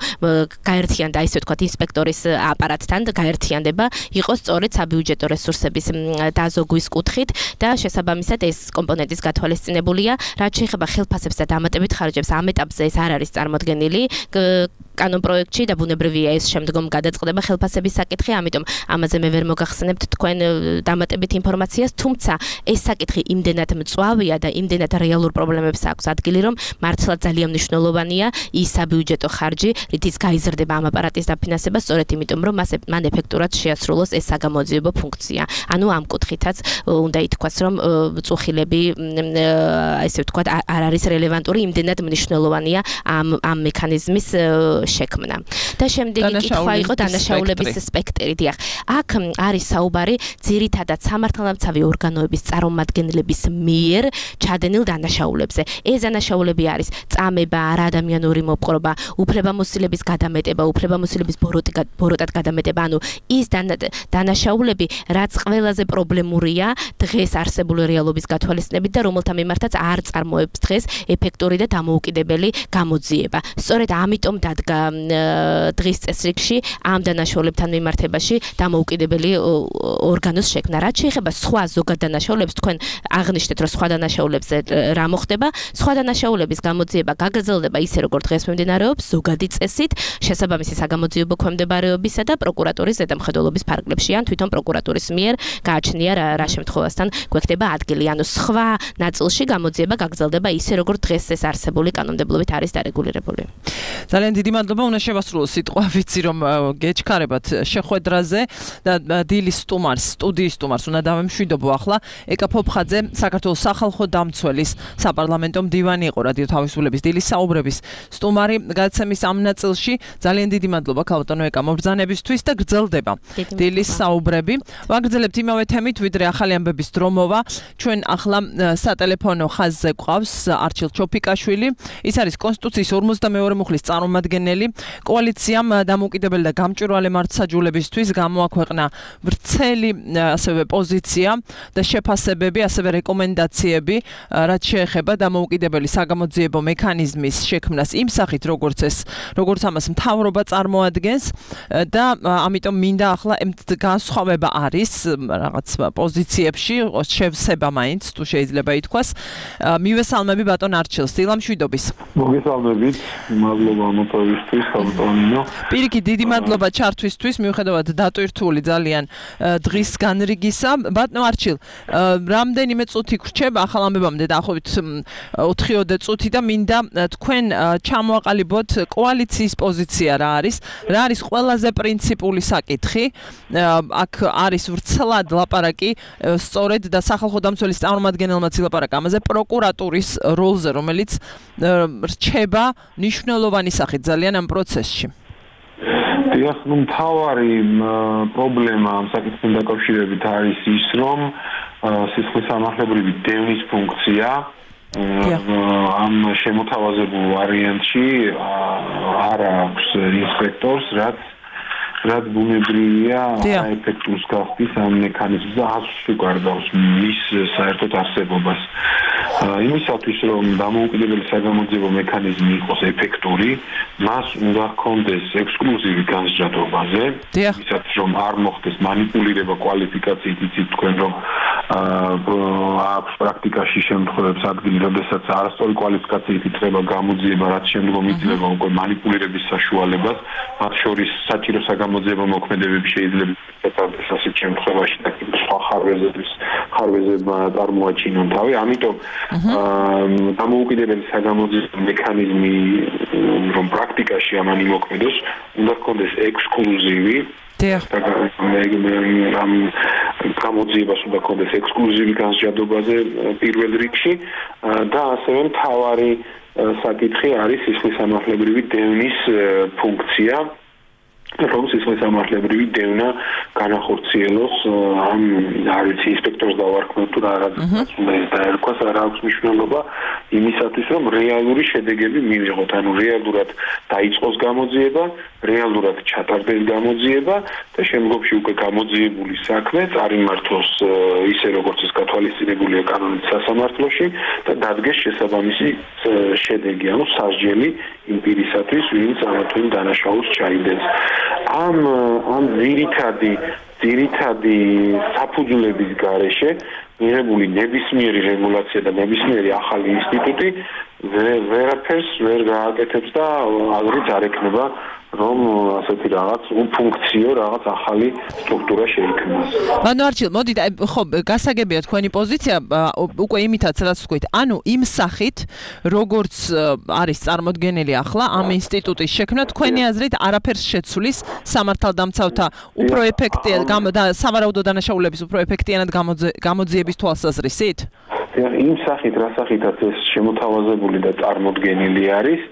Speaker 8: გაერთიანდა ისე ვთქვათ ინსპექტორის აპარატთან და გაერთიანდება იყო სწორედ საბიუჯეტო რესურსების დაზოგვის კუთხით და შესაბამისად ეს კომპონენტის გათვალისწინებული რაც შეეხება ხელფასებს და დამატებით ხარჯებს ამ ეტაპზე ეს არ არის წარმოდგენილი კანონპროექტში და ბუნებრივია ეს შემდგომ გადაწყდება ხელფასების საკითხი, ამიტომ ამაზე მე ვერ მოგახსენებთ თქვენ დამატებით ინფორმაციას, თუმცა ეს საკითხი იმდენად მწვავეა და იმდენად რეალურ პრობლემებს აქვს ადგილი, რომ მართლა ძალიან მნიშვნელოვანია ის საბიუჯეტო ხარჯი, რითიც გაიზრდება ამ აპარატის დაფინანსება, სწორედ იმიტომ, რომ მან ეფექტურად შეასრულოს ეს საგამოძიებო ფუნქცია. ანუ ამ კუთხითაც უნდა ითქვას, რომ წუხილები ესე ვთქვათ არ არის რელევანტური, იმდენად მნიშვნელოვანია ამ მექანიზმის შექმნა. და შემდეგი კითხვა იყო დანაშაულების სპექტრი. დიახ, აქ არის საუბარი ძირითადად სამართალდამცავი ორგანოების წარმომადგენლების მიერ ჩადენილ დანაშაულებზე. ეს დანაშაულები არის წამება, არაადამიანური მოპყრობა, უფლებამოსილების გადამეტება, უფლებამოსილების ბოროტად გადამეტება, ანუ ის დანაშაულები, რაც ყველაზე პრობლემურია დღეს არსებული რეალობის გათვალისწინებით და რომელთა მიმართაც არ წარმოებს დღეს ეფექტური და დამოუკიდებელი გამოძიება. სწორედ ამიტომ დადგა დღის წესრიგში ამ დანაშაულებთან მიმართებაში დამოუკიდებელი ორგანოს შექმნა. რაც შეეხება სხვა ზოგად დანაშაულებს, თქვენ აღნიშნეთ, რომ სხვა დანაშაულებზე რა მოხდება, სხვა დანაშაულების გამოძიება გაგრძელდება ისე, როგორც დღეს მიმდინარეობს, ზოგადი წესით, შესაბამისი საგამოძიებო ქვემდებარეობისა და პროკურატურის ზედამხედველობის ფარგლებში, ან თვითონ პროკურატურის მიერ გააჩნია რა შემთხვევასთან გვექნება ადგილი. ანუ სხვა ნაწილში გამოძიება გაგრძელდება ისე, როგორც დღეს ეს არსებული კანონმდებლობით არის დარეგულირებული.
Speaker 2: ძალიან დიდი მადლობა, უნდა შევასრულო სიტყვა, ვიცი რომ გეჩქარებათ შეხვედრაზე და დილის სტუმარს, სტუდიის სტუმარს უნდა დავემშვიდობო ახლა. ეკა ფოფხაძე, საქართველოს სახალხო დამცველის საპარლამენტო მდივანი იყო რადიო თავისუფლების დილის საუბრების სტუმარი გადაცემის ამ ნაწილში. ძალიან დიდი მადლობა ქალბატონო ეკა მობრძანებისთვის და გრძელდება დილის საუბრები. ვაგრძელებთ იმავე თემით, ვიდრე ახალი ამბების დრო მოვა. ჩვენ ახლა სატელეფონო ხაზზე გვყავს არჩილ ჩოფიკაშვილი. ის არის კონსტიტუციის 52 მუხლის წარმომადგენელი. კოალიციამ დამოუკიდებელი და გამჭვირვალე მართლმსაჯულებისთვის გამოაქვეყნა ვრცელი ასევე პოზიცია და შეფასებები, ასევე რეკომენდაციები, რაც შეეხება დამოუკიდებელი საგამოძიებო მექანიზმის შექმნას იმ სახით, როგორც ამას მთავრობა წარმოადგენს და ამიტომ მინდა ახლა განსხვავება არის რაღაც პოზიციებში, შევსება მაინც თუ შეიძლება ითქვას. მივესალმები ბატონ არჩილს, დილამშვიდობის.
Speaker 10: მოგესალმებით, მადლობა მოწვევისთვის, ხალხო.
Speaker 2: პირიქით დიდი მადლობა ჩართვისთვის, მიუხედავად დატვირთული ძალიან დღის განრიგისა. ბატონო არჩილ, რამდენიმე წუთი გრჩება ახალ ამბებამდე დაახლოებით 4-5 წუთი და მინდა თქვენ ჩამოაყალიბოთ კოალიციის პოზიცია რა არის ყველაზე პრინციპული საკითხი. აქ არის ვრცლად ლაპარაკი სწორედ და სახალხო დამცველის წარმომადგენელმაც ილაპარაკა ამაზე პროკურატურის როლზე, რომელიც რჩება მნიშვნელოვანი სახით ძალიან ამ პროცესში.
Speaker 10: დიახ, მთავარი პრობლემა ამ საკითხთან დაკავშირებით არის ის, რომ სისხლისამართლებრივი დევნის ფუნქცია ამ შემოთავაზებულ ვარიანტში არ აქვს ინსპექტორს, რაც ბუნებრივია ეფექტურს გახდის ამ მექანიზმს და ასუგარდავს მის საერთოდ არსებობას. იმისათვის, რომ დამოუკიდებელი საგამოძიებო მექანიზმი იყოს ეფექტური, მას უნდა ჰქონდეს ექსკლუზივი განსჯადობაზე, იმისათვის, რომ არ მოხდეს манипуლირება კვალიფიკაციით, იცით თქვენ, რომ აქვს პრაქტიკაში შემთხვევებს ადგილი, როდესაც არასწორი კვალიფიკაციით იწყება გამოძიება, რაც შემდგომ იძლევა უკვე манипуლირების საშუალებას, მათ შორის საჭირო საგამოძიებო მოქმედებები შეიძლება ეთანდეს ასეთ შემთხვევაში და სხვა ხარვეზებმა წარმოაჩინონ თავი. ამიტომ დამოუკიდებელი საგამოძიებო მექანიზმი, რომ პრაქტიკაში ამან იმოქმედოს, უნდა ჰქონდეს ექსკლუზივი ამ გამოძიებას უნდა ჰქონდეს ექსკლუზივი განსჯადობაზე პირველ რიგში და ასევე მთავარი საკითხი არის სისხლისამართლებრივი დევნის ფუნქცია, რომ სისხლისამართლებრივი დევნა განახორციელოს ამ არის ინსპექტორს დავარქმევ თუ რაღაც უნდა დაერქვას, რა აქვს მნიშვნელობა იმისათვის, რომ რეალური შედეგები მივიღოთ, ანუ რეალურად დაიწყოს გამოძიება, რეალურად ჩატარდეს გამოძიება და შემდგომში უკვე გამოძიებული საქმე წარიმართოს ისე როგორც ეს გათვალისწინებულია კანონით სასამართლოში და დადგეს შესაბამისი შედეგი, ანუ სასჯელი იმ პირისათვის, ვინც ამ თუ იმ დანაშაულს ჩაიდენს. ამ ძირითადი საფუძვლების გარეშე მიღებული ნებისმიერი რეგულაცია და ნებისმიერი ახალი ინსტიტუტი ვერაფერს ვერ გააკეთებს და აღრიც არ ექნება, რომ ასეთი რაღაც ფუნქციო, რაღაც ახალი სტრუქტურა შეიქმნას.
Speaker 2: ბატონო არჩილ, მოდით, ხო, გასაგებია თქვენი პოზიცია, უკვე იმითაც რაც ვთქვით, ანუ იმ სახით, როგორც არის წარმოდგენილი ახლა ამ ინსტიტუტის შექმნა, თქვენი აზრით არაფერს შეცვლის სამართალდამცავთა უფრო ეფექტიან და სავარაუდო დანაშაულების უფრო ეფექტიანად გამოძიების თვალსაზრისით?
Speaker 10: იმ სახით, რა სახითაც ეს შემოთავაზებული და წარმოდგენილი არის,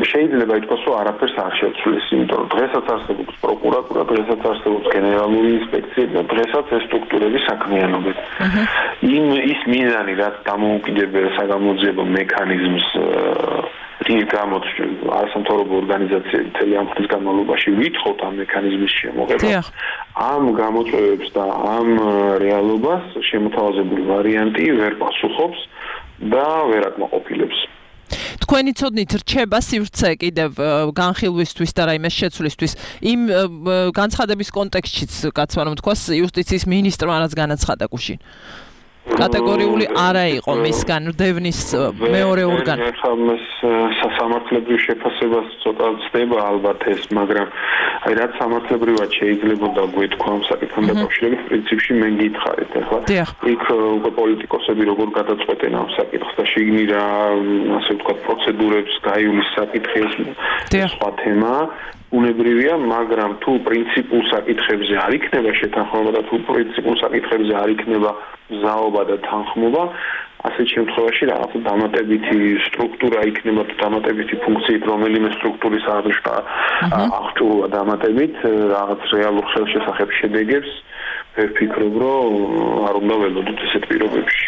Speaker 10: შეიძლება ითქვას, რომ არაფერს არ შეცვლის, იმიტომ რომ დღესაც არსებობს პროკურატურა, დღესაც არსებობს გენერალური ინსპექცია და დღესაც ეს სტრუქტურები საქმიანობენ. ის მიზანი, რაც დამოუკიდებელ საგამოძიებო მექანიზმს რის გამოც არასამთავრობო ორგანიზაციები მთელი ამ ხნის განმავლობაში ვითხოვთ ამ მექანიზმის შემოღებას, ამ გამოწვევებს და ამ რეალობას შემოთავაზებული ვარიანტი ვერ პასუხობს და ვერ აკმაყოფილებს.
Speaker 2: თქვენი ცოდნით რჩება სივრცე კიდევ განხილვისთვის და რაიმე შეცვლისთვის იმ განცხადების კონტექსტშიც კაცმა რომ თქვას იუსტიციის მინისტრმა რაც განაცხადა გუშინ კატეგორიული არა იყო მისგან დევნის მეორე ორგანო.
Speaker 10: სამართლებრივ შეფასებას ცოტა ცდება ალბათ ეს, მაგრამ აი რაც სამართლებრივად შეიძლებოდა გვეთქვა ამ საკითხთან დაკავშირებით, პრინციპში მე გითხარით ახლა. იქ უკვე პოლიტიკოსები როგორ გადაწყვეტენ ამ საკითხს და შიგნით რა, ასე ვთქვათ, პროცედურებს გაიulis საკითხი ეს სხვა თემა. უნებრივია, მაგრამ თუ პრინციპულ საკითხებზე არ იქნება შეთანხმება და თუ პრინციპულ საკითხებზე არ იქნება ზაობა და თანხმობა, ასეთ შემთხვევაში რაღაც დამატებითი სტრუქტურა იქნება თუ დამატებითი ფუნქციით რომელიმე სტრუქტურის აღჭურვა დამატებით რაღაც რეალურ ხელშესახებ შედეგებს ვფიქრობ, რომ არ უნდა ველოდოთ ესეთ პირობებში.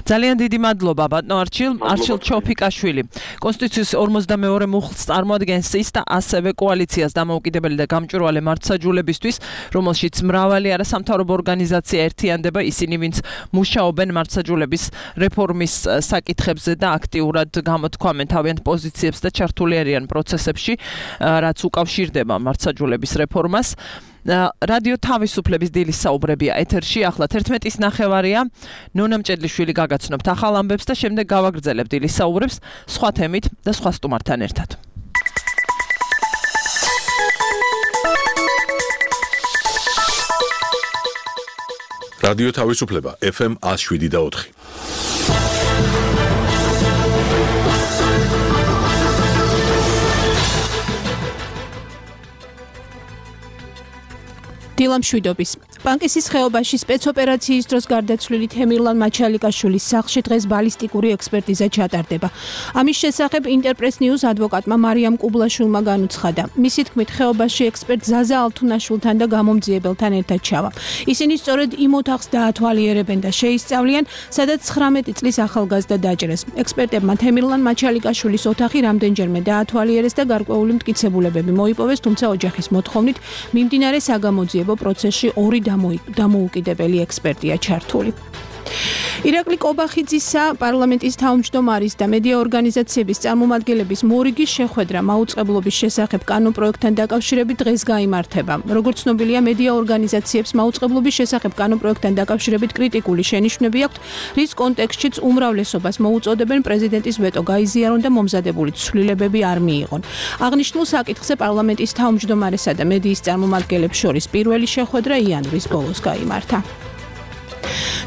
Speaker 2: ძალიან დიდი მადლობა ბატონო არჩილ ჩოფიკაშვილი. კონსტიტუციის 42 მუხლს წარმოადგენს ის და ასევე კოალიციას დამოუკიდებელი და გამჭვირვალე მართლმსაჯულებისთვის, რომელშიც მრავალი არასამთავრობო ორგანიზაცია ერთიანდება, ისინი ვინც მუშაობენ მართლმსაჯულების რეფორმის საკითხებზე და აქტიურად გამოთქვამენ თავიანთ პოზიციებს და ჩართული არიან პროცესებში, რაც უკავშირდება მართლმსაჯულების რეფორმას. რადიო თავისუფლების დილის საუბრებია ეთერში, ახლა 11:09-ია. ნონა მჭედლიშვილი გაგაცნობთ ახალ ამბებს და შემდეგ გავაგრძელებთ დილის საუბრებს სხვა თემით და სხვა სტუმართან ერთად.
Speaker 1: რადიო თავისუფლება FM 107.4.
Speaker 3: დილამშვიდობის. პანკისის ხეობაში სპეცოპერაციის დროს გარდაცვლილი თემირლან მაჩალიკაშვილის სახლში დღეს ბალისტიკური ექსპერტიზა ჩატარდება. ამის შესახებ ინტერპრეს ნიუს ადვოკატმა მარიამ კუბლაშვილმა განუცხადა. მისი თქმით, ხეობაში ექსპერტ ზაზა ალთუნაშვილთან და გამომძიებელთან ერთად ჩავა. ისინი სწორედ იმ ოთახს დაათვალიერებენ და შეისწავლიან, სადაც 19 წლის ახალგაზრდა დაჭრეს. ექსპერტებმა თემირლან მაჩალიკაშვილის ოთახი რამდენჯერმე დაათვალიერეს და გარკვეული მტკიცებულებები მოიპოვეს, თუმცა ოჯახის მოთხოვნით მიმდინარე საგამოძიებო პროცესში ორი დამოუკიდებელი ექსპერტია ჩართული. ირაკლი კობახიძისა, პარლამენტის თავმჯდომარის და მედია ორგანიზაციების წარმომადგენლების მორიგის შეხვედრა მაუწყებლობის შესახებ კანონპროექტთან დაკავშირებით დღეს გაიმართება. როგორც ცნობილია, მედია ორგანიზაციებს მაუწყებლობის შესახებ კანონპროექტთან დაკავშირებით კრიტიკული შენიშვნები აქვთ, რის კონტექსტშიც უმრავლესობას მოუწოდებენ პრეზიდენტის ვეტო გაიზიარონ და მომზადებული ცვლილებები არ მიიღონ. აღნიშნულ საკითხზე პარლამენტის თავმჯდომარესა და მედიის წარმომადგენლებს შორის პირველი შეხვედრა იანვრის ბოლოს გაიმართა.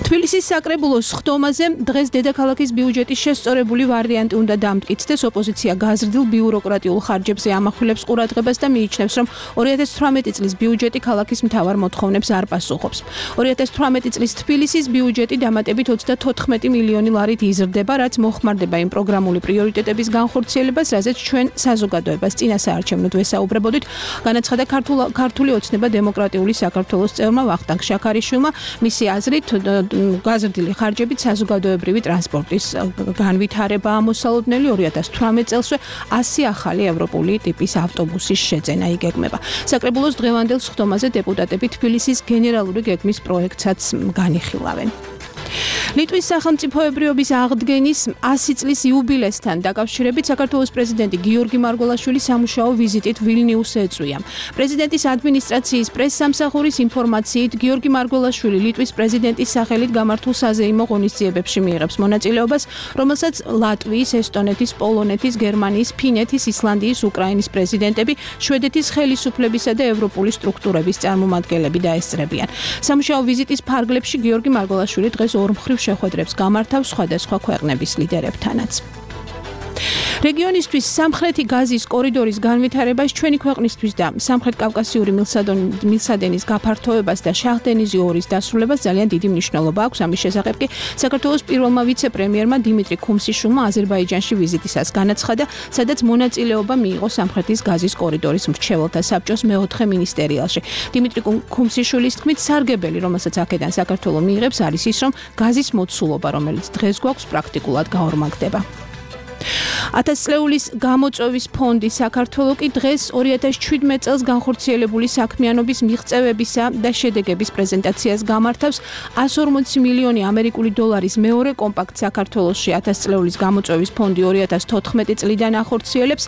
Speaker 3: თბილისის საკრებულოს სხდომაზე დღეს დედაქალაქის ბიუჯეტის შესწორებული ვარიანტი უნდა დამტკიცდეს. ოპოზიცია გაზრდილ ბიუროკრატიულ ხარჯებზე ამახვილებს ყურადღებას და მიიჩნევს, რომ 2018 წლის ბიუჯეტი ქალაქის მთავარ მოთხოვნებს არ პასუხობს. 2018 წლის თბილისის ბიუჯეტი დამატებით 34 მილიონი ლარით იზრდება, რაც მოხმარდება იმ პროგრამული პრიორიტეტების განხორციელებას, რაზეც ჩვენ საზოგადოებას წინასაარჩევნოდ ვესაუბრებოდით, განაცხადა ქართული ოცნება დემოკრატიული საქართველოს წევრმა ვახტანგ შაქარიშვილმა. მისი აზრით გაზრდილი ხარჯებით საზოგადოებრივი ტრანსპორტის განვითარება ამოსალოდნელი 2018 წელსვე 100 ახალი ევროპული ტიპის ავტობუსის შეძენა იგეგმება. საკრებულოს დღევანდელ სხდომაზე დეპუტატები თბილისის გენერალური გეგმის პროექტსაც განიხილავენ. ლიტვის სახელმწიფოებრიობის აღდგენის 100 წლის იუბილესთან დაკავშირებით საქართველოს პრეზიდენტი გიორგი მარგველაშვილი სამუშაო ვიზიტით ვილნიუსს ეწვია. პრეზიდენტის ადმინისტრაციის პრესსამსახურის ინფორმაციით, გიორგი მარგველაშვილი ლიტვის პრეზიდენტის სახელით გამართულ საზეიმო ღონისძიებებში მიიღებს მონაწილეობას, რომელსაც ლატვიის, ესტონეთის, პოლონეთის, გერმანიის, ფინეთის, ისლანდიის, უკრაინის პრეზიდენტები, შვედეთის ხელისუფლებისა და ევროპული სტრუქტურების წარმომადგენლები დაესწრებიან. სამუშაო ვიზიტის ფარგლებში გიორგი მარგველაშვილი დღეს ორმხრივ შეხვედრებს გამართავს სხვადასხვა ქვეყნების ლიდერებთანაც. რეგიონისთვის სამხრეთი გაზის კორიდორის განვითარებას ჩვენი ქვეყნისთვის და სამხრეთ კავკასიური მილსადენის გაფართოებას და შაჰდენიზი 2-ის დასრულებას ძალიან დიდი მნიშვნელობა აქვს. ამის შესახებ კი საქართველოს პირველმა ვიცე-პრემიერმა დიმიტრი ქუმსიშვილმა აზერბაიჯანში ვიზიტისას განაცხადა, სადაც მონაწილეობა მიიღო სამხრეთის გაზის კორიდორის მრჩეველთა საბჭოს მეოთხე მინისტერიალში. დიმიტრი ქუმსიშვილის თქმით, სარგებელი, რომელსაც აქედან საქართველო მიიღებს, არის ის, რომ გაზის მოცულობა, რომელიც დღეს გვაქვს, პრაქტიკულად გაორმაგდება. 1000 წლეულის გამოწვევის ფონდი საქართველოს კი დღეს 2017 წელს განხორციელებული საქმიანობის მიღწევებისა და შედეგების პრეზენტაციას გამართავს 140 მილიონი ამერიკული დოლარის მეორე კომპაქტ საქართველოში 1000 წლეულის გამოწვევის ფონდი 2014 წლიდან ახორციელებს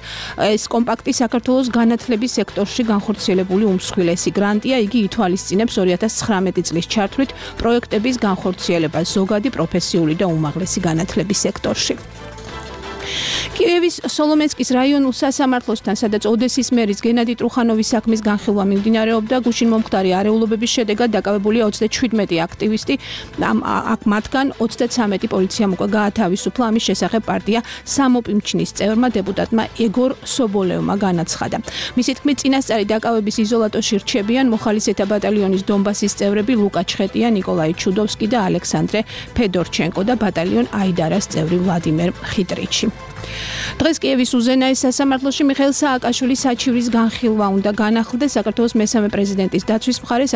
Speaker 3: ეს კომპაქტი საქართველოს განათლების სექტორში განხორციელებული უმსხვილესი გრანტია იგი ითვალისწინებს 2019 წლის ჩართვლით პროექტების განხორციელებას ზოგადი პროფესიული და უმაღლესი განათლების სექტორში კიევის სოლომენსკის რაიონულ სასამართლოსთან, სადაც ოდესის მერის გენადი ტრუხანოვის საქმის განხილვა მიმდინარეობდა, გუშინ მომხდარი არეულობების შედეგად დაკავებულია 37 აქტივისტი, აქ მათგან 33 პოლიციამ უკვე გაათავისუფლა, ამის შესახებ პარტია სამოპიმჩნის წევრმა დეპუტატმა ეგორ სობოლევმა განაცხადა. მისი თქმით, წინასწარი დაკავების იზოლატორში რჩებიან მოხალისეთა ბატალიონის დონბასის წევრები ლუკა ჩხეტია, ნიკოლაი ჩუდოვსკი და ალექსანდრე ფედორჩენკო და ბატალიონ აიდარას წევრი ვლადიმერ ხიტრიჩი. დღეს კიევის უზენაეს სასამართლოში მიხეილ სააკაშვილის საჩივრის განხილვა უნდა განახლდეს. საქართველოს მესამე პრეზიდენტის დაცვის მხარე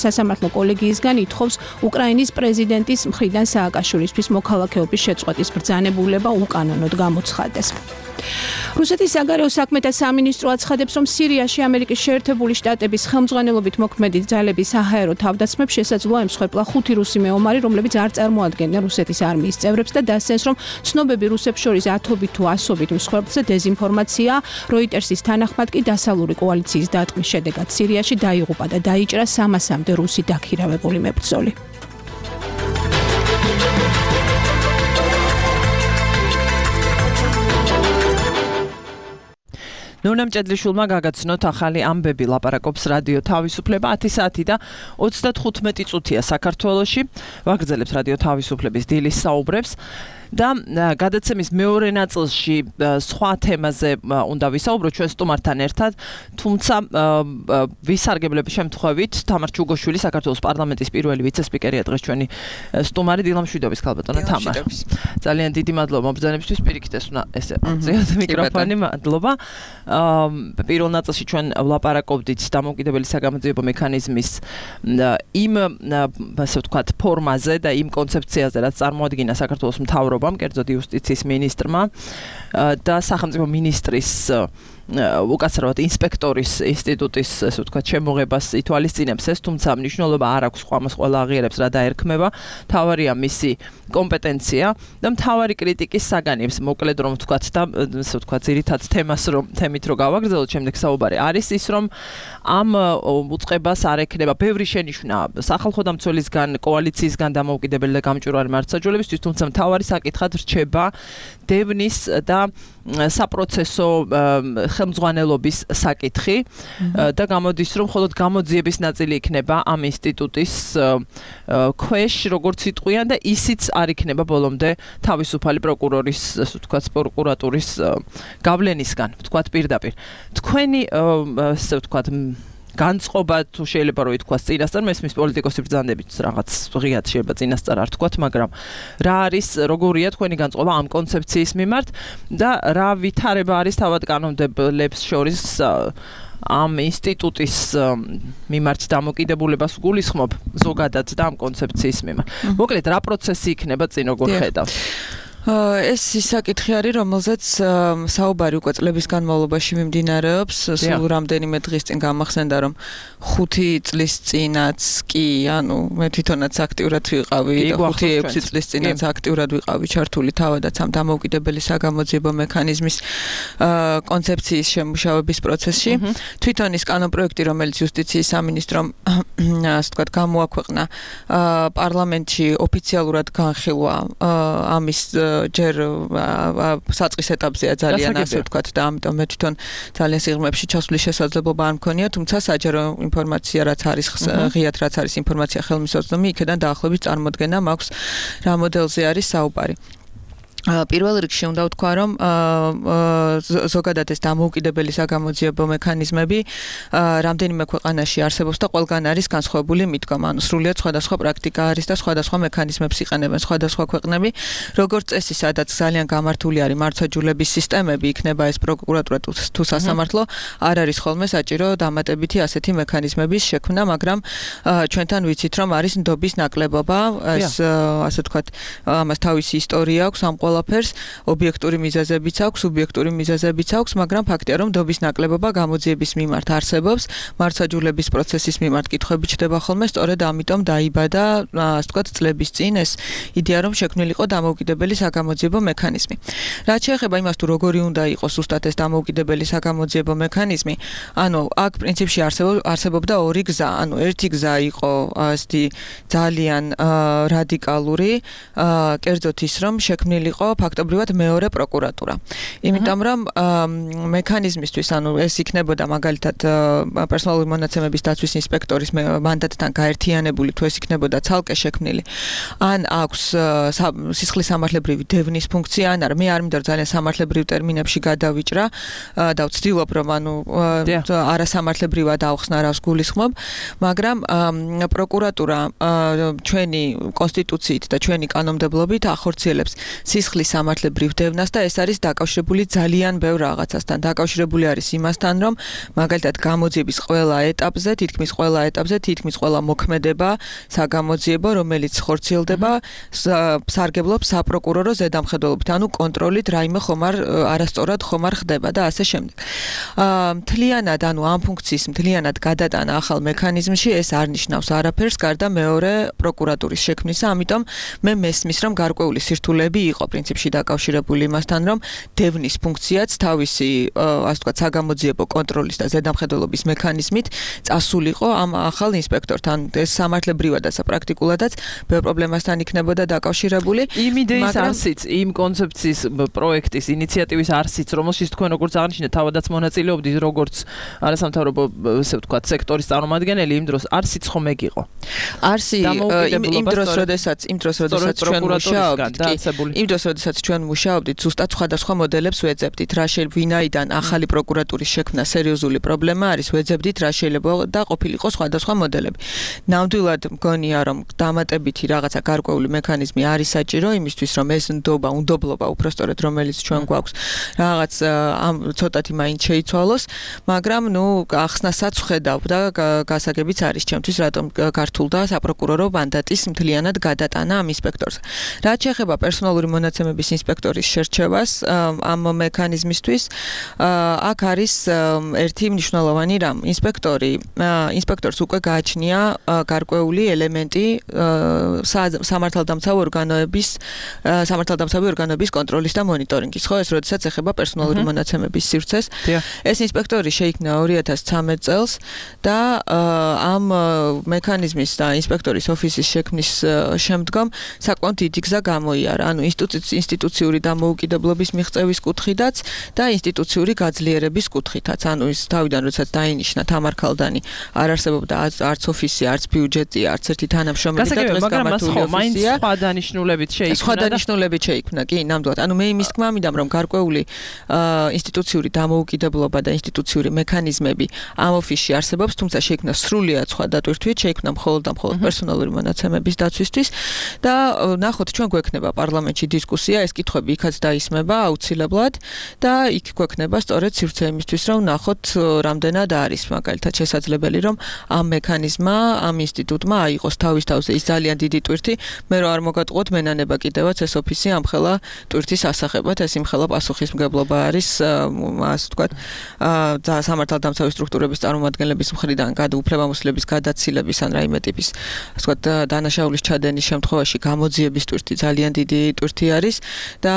Speaker 3: სასამართლო კოლეგიისგან ითხოვს უკრაინის პრეზიდენტის მხრიდან სააკაშვილისთვის მოქალაქეობის შეწყვეტის ბრძანებულება უკანონოდ გამოცხადდეს. რუსეთის საგარეო საქმეთა სამინისტრო აცხადებს, რომ სირიაში ამერიკის შეერთებული შტატების ხელმძღვანელობით მოქმედი ძალების საჰაერო თავდასხმებს შესაძლოა ემსხვერპლა 5 რუსი მეომარი, რომლებიც არ წარმოადგენდნენ რუსეთის არმიის წევრებს და დასცენს, რომ ცნობები რუსებს შორის ათობით თუ ასობით მსხვერპლზე დეზინფორმაცია. როიტერსის თანახმად კი დასავლური კოალიციის დატყმის შედეგად სირიაში დაიღუპა და დაიჭრა 300-მდე რუსი დაქირავებული მებრძოლი. ნონა მჭედლიშვილმა გაგაცნოთ ახალი ამბები, ლაპარაკობს რადიო თავისუფლება 10 საათი და 35 წუთია საქართველოში. ვაგრძელებთ რადიო თავისუფლების დილის საუბრებს. და გადაცემის მეორე ნაწილში სხვა თემაზე უნდა ვისაუბროთ ჩვენ სტუმართან ერთად, თუმცა ვისარგებლების შემთხვევით თამარ ჩუგოშვილი საქართველოს პარლამენტის პირველი ვიცე-სპიკერია დღეს ჩვენი სტუმარი დილამშვიდობის ქალბატონო თამარ. ძალიან დიდი მადლობა მობრძანებისთვის, პირიქით ეს უნდა ესე აღწიოთ მიკროფონი, მადლობა. პირველ ნაწილში ჩვენ ვლაპარაკობდით დამოუკიდებელი საგამოძიებო მექანიზმის იმ ასე ვთქვათ ფორმაზე და იმ კონცეფციაზე, რაც წარმოადგინა საქართველოს მთავრობამ, კერძოდ იუსტიციის მინისტრმა და სახელმწიფო მინისტრის უკაცრავად ინსპექტორის ინსტიტუტის ასე ვთქვათ შემოღებას ითვალისწინებს ეს, თუმცა მნიშვნელობა არ აქვს ამას ყველა აღიარებს რა დაერქმევა, მთავარია მისი კომპეტენცია და მთავარი კრიტიკის საგანებს მოკლედ რომ ვთქვათ და ასე ვთქვათ ძირითად თემით რო გავაგრძელოთ შემდეგ საუბარი არის ის, რომ ამ უწყებას არ ექნება ბევრი შენიშვნა სახალხო დამცველისგან, კოალიციისგან დამოუკიდებელი და გამჭვირვალე მართლმსაჯულებისთვის, თუმცა მთავარი საკითხად რჩება დევნის და საპროცესო ხელმძღვანელობის საკითხი და გამოდის, რომ მხოლოდ გამოძიების ნაწილი იქნება ამ ინსტიტუტის ქვეშ, როგორც იტყვიან და ისიც არ იქნება ბოლომდე თავისუფალი პროკურორის, ასე ვთქვათ, პროკურატურის გავლენისგან, ვთქვათ პირდაპირ. თქვენი ასე ვთქვათ განწყობა თუ შეიძლება რომ ითქვას წინასწარ, მესმის პოლიტიკოსი ბრძანდებით რაღაც ღიად შეიძლება წინასწარ არ თქვათ, მაგრამ რა არის, როგორია თქვენი განწყობა ამ კონცეფციის მიმართ და რა ვითარება არის თავად კანონმდებლებს შორის ამ ინსტიტუტის მიმართ დამოკიდებულებას გულისხმობ ზოგადად და ამ კონცეფციის მიმართ. მოკლედ რა პროცესი იქნება წინ როგორ ხედავთ?
Speaker 2: ეს ის საკითხი არის, რომელზეც საუბარი უკვე წლების განმავლობაში მიმდინარეობს. სულ რამდენიმე დღის წინ გამახსენდა, რომ 5 წლის წინაც კი, ანუ მე თვითონაც აქტიურად ვიყავი და 5-6 წლის წინაც აქტიურად ვიყავი ჩართული თავადაც ამ დამოუკიდებელი საგამოძიებო მექანიზმის კონცეფციის შემუშავების პროცესში. თვითონ ის კანონპროექტი, რომელიც იუსტიციის სამინისტრომ ასე ვთქვათ გამოაქვეყნა პარლამენტში ოფიციალურად განხილვა ამის ჯერ საწყის ეტაპზეა ძალიან ასე ვთქვათ და ამიტომ მე თვითონ ძალიან სიღრმეებში ჩასვლის შესაძლებლობა არ მქონია, თუმცა საჯარო ინფორმაცია რაც არის ღიად რაც არის ინფორმაცია ხელმისაწვდომი, იქიდან დაახლოებით წარმოდგენა მაქვს რა მოდელზე არის საუბარი. პირველ რიგში უნდა ვთქვა, რომ ზოგადად ეს დამოუკიდებელი საგამოძიებო მექანიზმები რამდენიმე ქვეყანაში არსებობს და ყველგან არის განსხვავებული მიდგომა. ანუ სრულიად სხვადასხვა პრაქტიკა არის და სხვადასხვა მექანიზმებს იყენებენ სხვადასხვა ქვეყნები. როგორც წესი, სადაც ძალიან გამართული არის მართლმსაჯულების სისტემები, იქნება ეს პროკურატურა თუ სასამართლო, არ არის ხოლმე საჭირო დამატებითი ასეთი მექანიზმების შექმნა, მაგრამ ჩვენთან ვიცით, რომ არის ნდობის ნაკლებობა, ეს ასე ვთქვათ, ამას თავისი ისტორია აქვს, ამ ყველაფერს ობიექტური მიზეზებიც აქვს, სუბიექტური მიზეზებიც აქვს, მაგრამ ფაქტია, რომ დობის ნაკლებობა გამოძიების მიმართ არსებობს, მართლმსაჯულების პროცესის მიმართ კითხვები ჩდება ხოლმე, სწორედ ამიტომ დაიბადა, ასე ვთქვათ, წლების წინ ეს იდეა, რომ შექმნილიყო დამოუკიდებელი საგამოძიებო მექანიზმი. რაც შეეხება იმას, თუ როგორი უნდა იყოს ზუსტად ეს დამოუკიდებელი საგამოძიებო მექანიზმი, ანუ აქ პრინციპში არსებობდა ორი გზა, ანუ ერთი გზა იყო ასეთი ძალიან რადიკალური, კერძოდ ის, რომ შექმნილიყო ფაქტობრივად მეორე პროკურატურა. იმიტომ რომ მექანიზმისთვის, ანუ ეს იქნებოდა მაგალითად პერსონალური მონაცემების დაცვის ინსპექტორის მანდატთან გაერთიანებული, თუ ეს იქნებოდა ცალკე შექმნილი, ან აქვს სისხლის სამართლებრივი დევნის ფუნქცია, ან არა, მე არ მინდა ძალიან სამართლებრივ ტერმინებში გადავიჭრა და ვცდილობ რომ ანუ არასამართლებრივად ავხსნა რას გულისხმობ, მაგრამ პროკურატურა ჩვენი კონსტიტუციით და ჩვენი კანონმდებლობით ახორციელებს სისხლის სამართლებრივ დევნას და ეს არის დაკავშირებული ძალიან ბევრ რაღაცასთან. დაკავშირებული არის იმასთან, რომ მაგალითად გამოძიების ყველა ეტაპზე, თითქმის ყველა მოქმედება საგამოძიებო, რომელიც ხორციელდება, სარგებლობს საპროკურორო ზედამხედველობით, ანუ კონტროლით რაიმე არასწორად ხომარ ხდება და ასე შემდეგ. მთლიანად, ანუ ამ ფუნქციის მთლიანად გადატანა ახალ მექანიზმში ეს არ ნიშნავს არაფერს გარდა მეორე პროკურატურის შექმნისა, ამიტომ მე მესმის, რომ გარკვეული სირთულეები იყო პრინციპში დაკავშირებული იმასთან, რომ დევნის ფუნქციაც თავისი, ასე ვთქვათ, საგამოძიებო კონტროლის და ზედამხედველობის მექანიზმით წასულიყო ამ ახალ ინსპექტორთან. ეს სამართლებრივად და პრაქტიკულადაც ბევრ პრობლემასთან იქნებოდა დაკავშირებული.
Speaker 11: იმ იდეის არსიც, იმ კონცეფციის პროექტის ინიციატივის არსიც, რომელშიც თქვენ როგორც აღნიშნეთ, თავადაც მონაწილეობდით როგორც არასამთავრობო, ასე ვთქვათ, სექტორის წარმომადგენელი, იმ დროს არსიც ხომ ეგ იყო.
Speaker 2: არსი იმ დროს, როდესაც ჩვენ მუშაობდით, ზუსტად სხვადასხვა მოდელებს ვეძებდით. რა შეიძლება ვინაიდან ახალი პროკურატურის შექმნა სერიოზული პრობლემა არის, ვეძებდით რა შეიძლება და ყოფილიყო სხვადასხვა მოდელები. ნამდვილად მგონია, რომ დამატებითი რაღაცა გარკვეული მექანიზმი არის საჭირო იმისთვის, რომ ეს უნდობლობა უпростоრედ რომელიც ჩვენ გვაქვს, რაღაც ცოტათი მაინც შეიცვალოს, მაგრამ ახსნასაც ვხედავ და გასაგებიც არის ჩემთვის, რატომ გართულდა საპროკურორო მანდატის მთლიანად გადატანა ამ ინსპექტორს. რაც შეეხება პერსონალური მონაცემების ინსპექტორის შერჩევას ამ მექანიზმისთვის, აქ არის ერთი მნიშვნელოვანი რამ. ინსპექტორს უკვე გააჩნია გარკვეული ელემენტი სამართალდამცავი ორგანოების კონტროლის და მონიტორინგის, ხო, ეს როდესაც ეხება პერსონალური მონაცემების სივრცეს. ეს ინსპექტორი შეიქმნა 2013 წელს და ამ მექანიზმის და ინსპექტორის ოფისის შექმნის შემდგომ საკმაოდ დიდი გზა გამოიარა, ანუ ინსტიტუციური დამოუკიდებლობის მიღწევის კუთხითაც და ინსტიტუციური გაძლიერების კუთხითაც. ანუ ის თავიდან როდესაც დაინიშნა თამარ ქალდანი არ არსებობდა არც ოფისი, არც ბიუჯეტი, არც ერთი თანამშრომელი და დღეს გამართული ოფისია.
Speaker 11: სხვა დანიშნულებით
Speaker 2: შეიქმნა, კი, ნამდვილად. ანუ მე იმის თქმა მინდა, რომ გარკვეული ინსტიტუციური დამოუკიდებლობა და ინსტიტუციური მექანიზმები ამ ოფისში არსებობს, თუმცა შეიქმნა სრულიად სხვა დატვირთვით, შეიქმნა მხოლოდ პერსონალური მონაცემების დაცვისთვის და ნახოთ, ჩვენ გვექნება პარლამენტში დისკუსია, ეს კითხვები იქაც დაისმება აუცილებლად და იქ გვექნება სწორედ სივრცე იმისთვის, რომ ნახოთ, რამდენად არის მაგალითად შესაძლებელი, რომ ამ მექანიზმმა, ამ ინსტიტუტმა აიღოს თავის თავზე ის ძალიან დიდი ტვირთი, მე რო არ მოგატყუოთ მენანება კიდევაც ეს ოფისი ამხელა ტვირთის ასახებად, ეს იმხელა პასუხისმგებლობა არის, ასე ვთქვათ, სამართალდამცავი სტრუქტურების წარმომადგენლების მხრიდან უფლებამოსილების გადაცილების ან რაიმე ტიპის, ასე ვთქვათ, დანაშაულის ჩადენის შემთხვევაში გამოძიების ტვირთი ძალიან დიდი ტვირთი არის და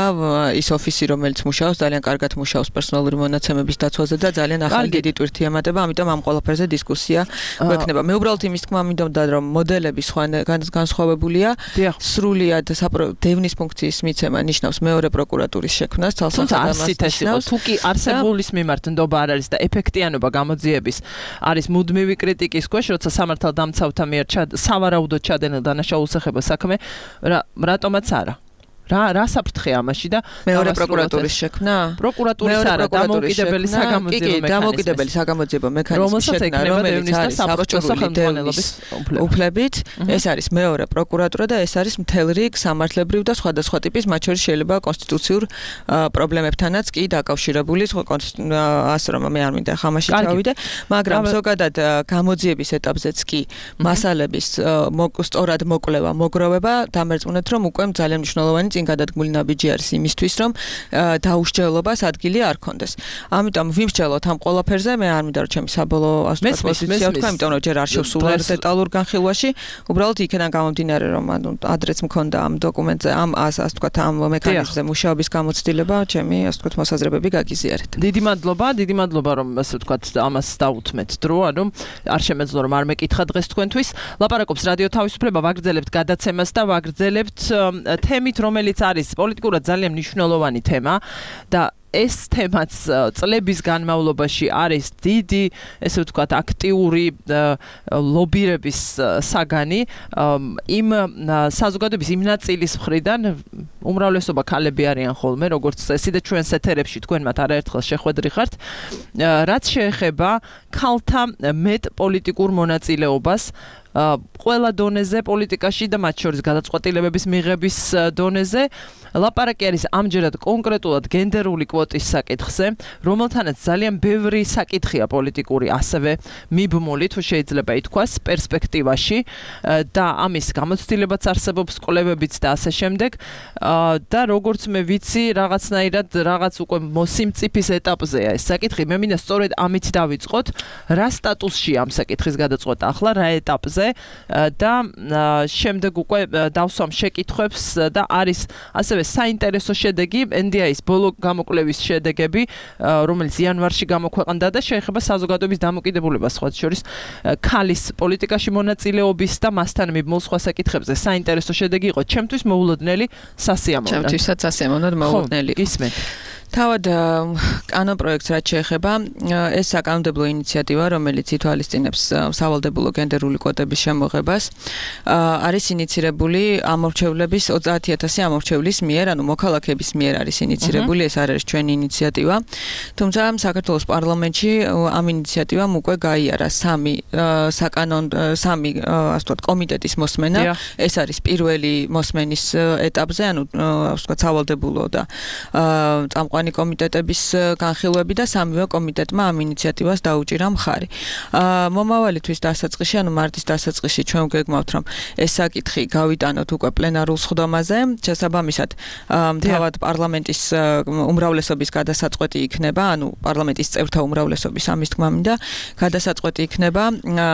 Speaker 2: ის ოფისი, რომელიც მუშაობს, ძალიან კარგად მუშაობს პერსონალური მონაცემების დაცვაზე და ძალიან ახალი დიდი ტვირთი ემატება, ამიტომ ამ ყველაფერზე დისკუსია გვექნება. მე უბრალოდ იმის თქმა მინდოდა, რომ მოდელები განსხვავებულია, სრულიად დევნის ფუნქციის მიცემა ნიშნავს მეორე პროკურატურის შექმნას,
Speaker 11: თუმცა თუ კი არსებულის მიმართ ნდობა არ არის და ეფექტიანობა გამოძიების არის მუდმივი კრიტიკის ქვეშ, როცა სამართალდამცავთა მიერ სავარაუდოდ ჩადენილ დანაშაულს ეხება საქმე, რატომაც არა. რა საფრთხეა ამაში და
Speaker 2: მეორე პროკურატურის შექმნა?
Speaker 11: პროკურატურის არა, დამოუკიდებელი
Speaker 2: საგამოძიებო მექანიზმის შექმნა, რომელიც არის საბჭოური დევნის უფლებით, ეს არის მეორე პროკურატურა და ეს არის მთელ რიგ სამართლებრივ და სხვადასხვა ტიპის, მათ შორის შეიძლება კონსტიტუციურ პრობლემებთანაც კი დაკავშირებული, ასე რომ მე არ მინდა ხამაში ჩავიდე, მაგრამ ზოგადად გამოძიების ეტაპზეც კი მასალების სწორად მოკვლევა, მოგროვება დამერწმუნეთ, რომ უკვე ძალიან მნიშვნელოვანი
Speaker 12: წინ გადადგმული ნაბიჯი არის იმისთვის, რომ დაუსჯელობას ადგილი არ ქონდეს. ამიტომ ვიმსჯელოთ ამ ყველაფერზე, მე არ მინდა რომ ჩემი საბოლოო პოზიცია ვთქვა, იმიტომ რომ ჯერ არ შევსულა დეტალურ განხილვაში, უბრალოდ იქიდან გამომდინარე, რომ ადრეც მქონდა ამ დოკუმენტზე, ასე ვთქვათ, ამ მექანიზმზე მუშაობის გამოცდილება, ჩემი ასე ვთქვათ მოსაზრებები გაგიზიარეთ.
Speaker 2: დიდი მადლობა, რომ ასე ვთქვათ, ამას დაუთმეთ დრო, ანუ არ შემეძლო რომ არ მეკითხა დღეს თქვენთვის. ლაპარაკობს რადიო თავისუფლება, ვაგრძელებთ გადაცემას და ვაგრძელებთ თემით, რომელიც არის პოლიტიკურად ძალიან მნიშვნელოვანი თემა და ეს თემაც წლების განმავლობაში არის დიდი, ესე ვთქვათ, აქტიური ლობირების საგანი იმ საზოგადოების იმ ნაწილის მხრიდან, უმრავლესობა ქალები არიან ხოლმე, როგორც წესი და ჩვენს ეთერებში თქვენ მათ არაერთხელ შეხვედრი ხართ, რაც შეეხება ქალთა მეტ პოლიტიკურ მონაწილეობას ყველა დონეზე პოლიტიკაში და მათ შორის გადაწყვეტილებების მიღების დონეზე. ლაპარაკი არის ამჯერად კონკრეტულად გენდერული კვოტის საკითხზე, რომელთანაც ძალიან ბევრი საკითხია პოლიტიკური ასევე მიბმული, თუ შეიძლება ითქვას, პერსპექტივაში და ამის გამოცდილებაც არსებობს, კვლევებიც და ასე შემდეგ. და როგორც მე ვიცი, რაღაცნაირად რაღაც უკვე მოსიმწიფის ეტაპზეა ეს საკითხი. მე მინდა სწორედ ამით დავიწყოთ, რა სტატუსშია ამ საკითხის გადაწყვეტა ახლა, რა ეტაპზე და შემდეგ უკვე დავსვამ შეკითხვებს და არის ასევე საინტერესო შედეგი NDI-ის ბოლო გამოკვლევის შედეგები, რომელიც იანვარში გამოქვეყნდა და შეეხება საზოგადოების დამოკიდებულებას სხვა შორის ქალის პოლიტიკაში მონაწილეობის და მასთან მიბმულ სხვა საკითხებზე. საინტერესო შედეგი იყო ჩემთვის მოულოდნელი, სასიამოვნო.
Speaker 12: ჩემთვისაც სასიამოვნოდ მოულოდნელი.
Speaker 2: გისმენთ.
Speaker 12: თავად კანონპროექტს რაც შეეხება, ეს საკანონმდებლო ინიციატივა, რომელიც ითვალისწინებს სავალდებულო გენდერული კვოტების შემოღებას, არის ინიცირებული ამორჩევლების 30,000 ამორჩევლის მიერ, ანუ მოქალაქეების მიერ არის ინიცირებული, ეს არ არის ჩვენი ინიციატივა. თუმცა საქართველოს პარლამენტში ამ ინიციატივამ უკვე გაიარა სამი ასე ვთქვათ კომიტეტის მოსმენა. ეს არის პირველი მოსმენის ეტაპზე, ანუ ასე ვთქვათ სავალდებულო და წამყვანი კომიტეტების განხილვები და სამივე კომიტეტმა ამ ინიციატივას დაუჭირა მხარი. მომავალი თვის დასაწყისში, ანუ მარტის დასაწყისში ჩვენ გეგმავთ, რომ ეს საკითხი გავიტანოთ უკვე პლენარულ სხდომაზე. შესაბამისად, თავად პარლამენტის უმრავლესობის გადასაწყვეტი იქნება, ანუ პარლამენტის წევრთა უმრავლესობის ამის თქმა მინდა, გადასაწყვეტი იქნება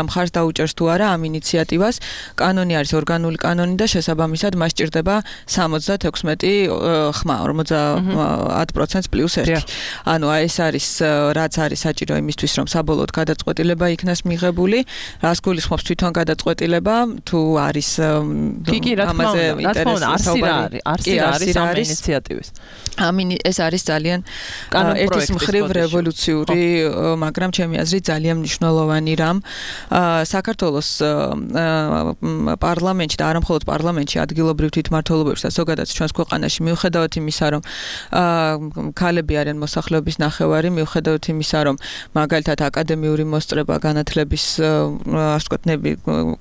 Speaker 12: მხარს დაუჭერს თუ არა ამ ინიციატივას. კანონი არის ორგანული კანონი და შესაბამისად მას ჭირდება 76 ხმა, 50% პლუს 1. ანუ ეს არის რაც არის საჭირო იმისთვის, რომ საბოლოოდ გადაწყვეტილება იქნას მიღებული. რას გულისხმობს თვითონ გადაწყვეტილება, თუ არის ამაზე ინტერესი არის ამ ინიციატივის. ეს არის ძალიან ერთის მხრივ რევოლუციური, მაგრამ ჩემი აზრით ძალიან მნიშვნელოვანი რამ. საქართველოს პარლამენტში და არა მხოლოდ პარლამენტში, ადგილობრივ თვითმმართველობებში და ზოგადად ჩვენს ქვეყანაში მიუხედავად იმისა, რომ ქალები არიან მოსახლეობის ნახევარი, მიუხედავად იმისა, რომ მაგალითად აკადემიური მოსწრება განათლების ასე ვთქვათ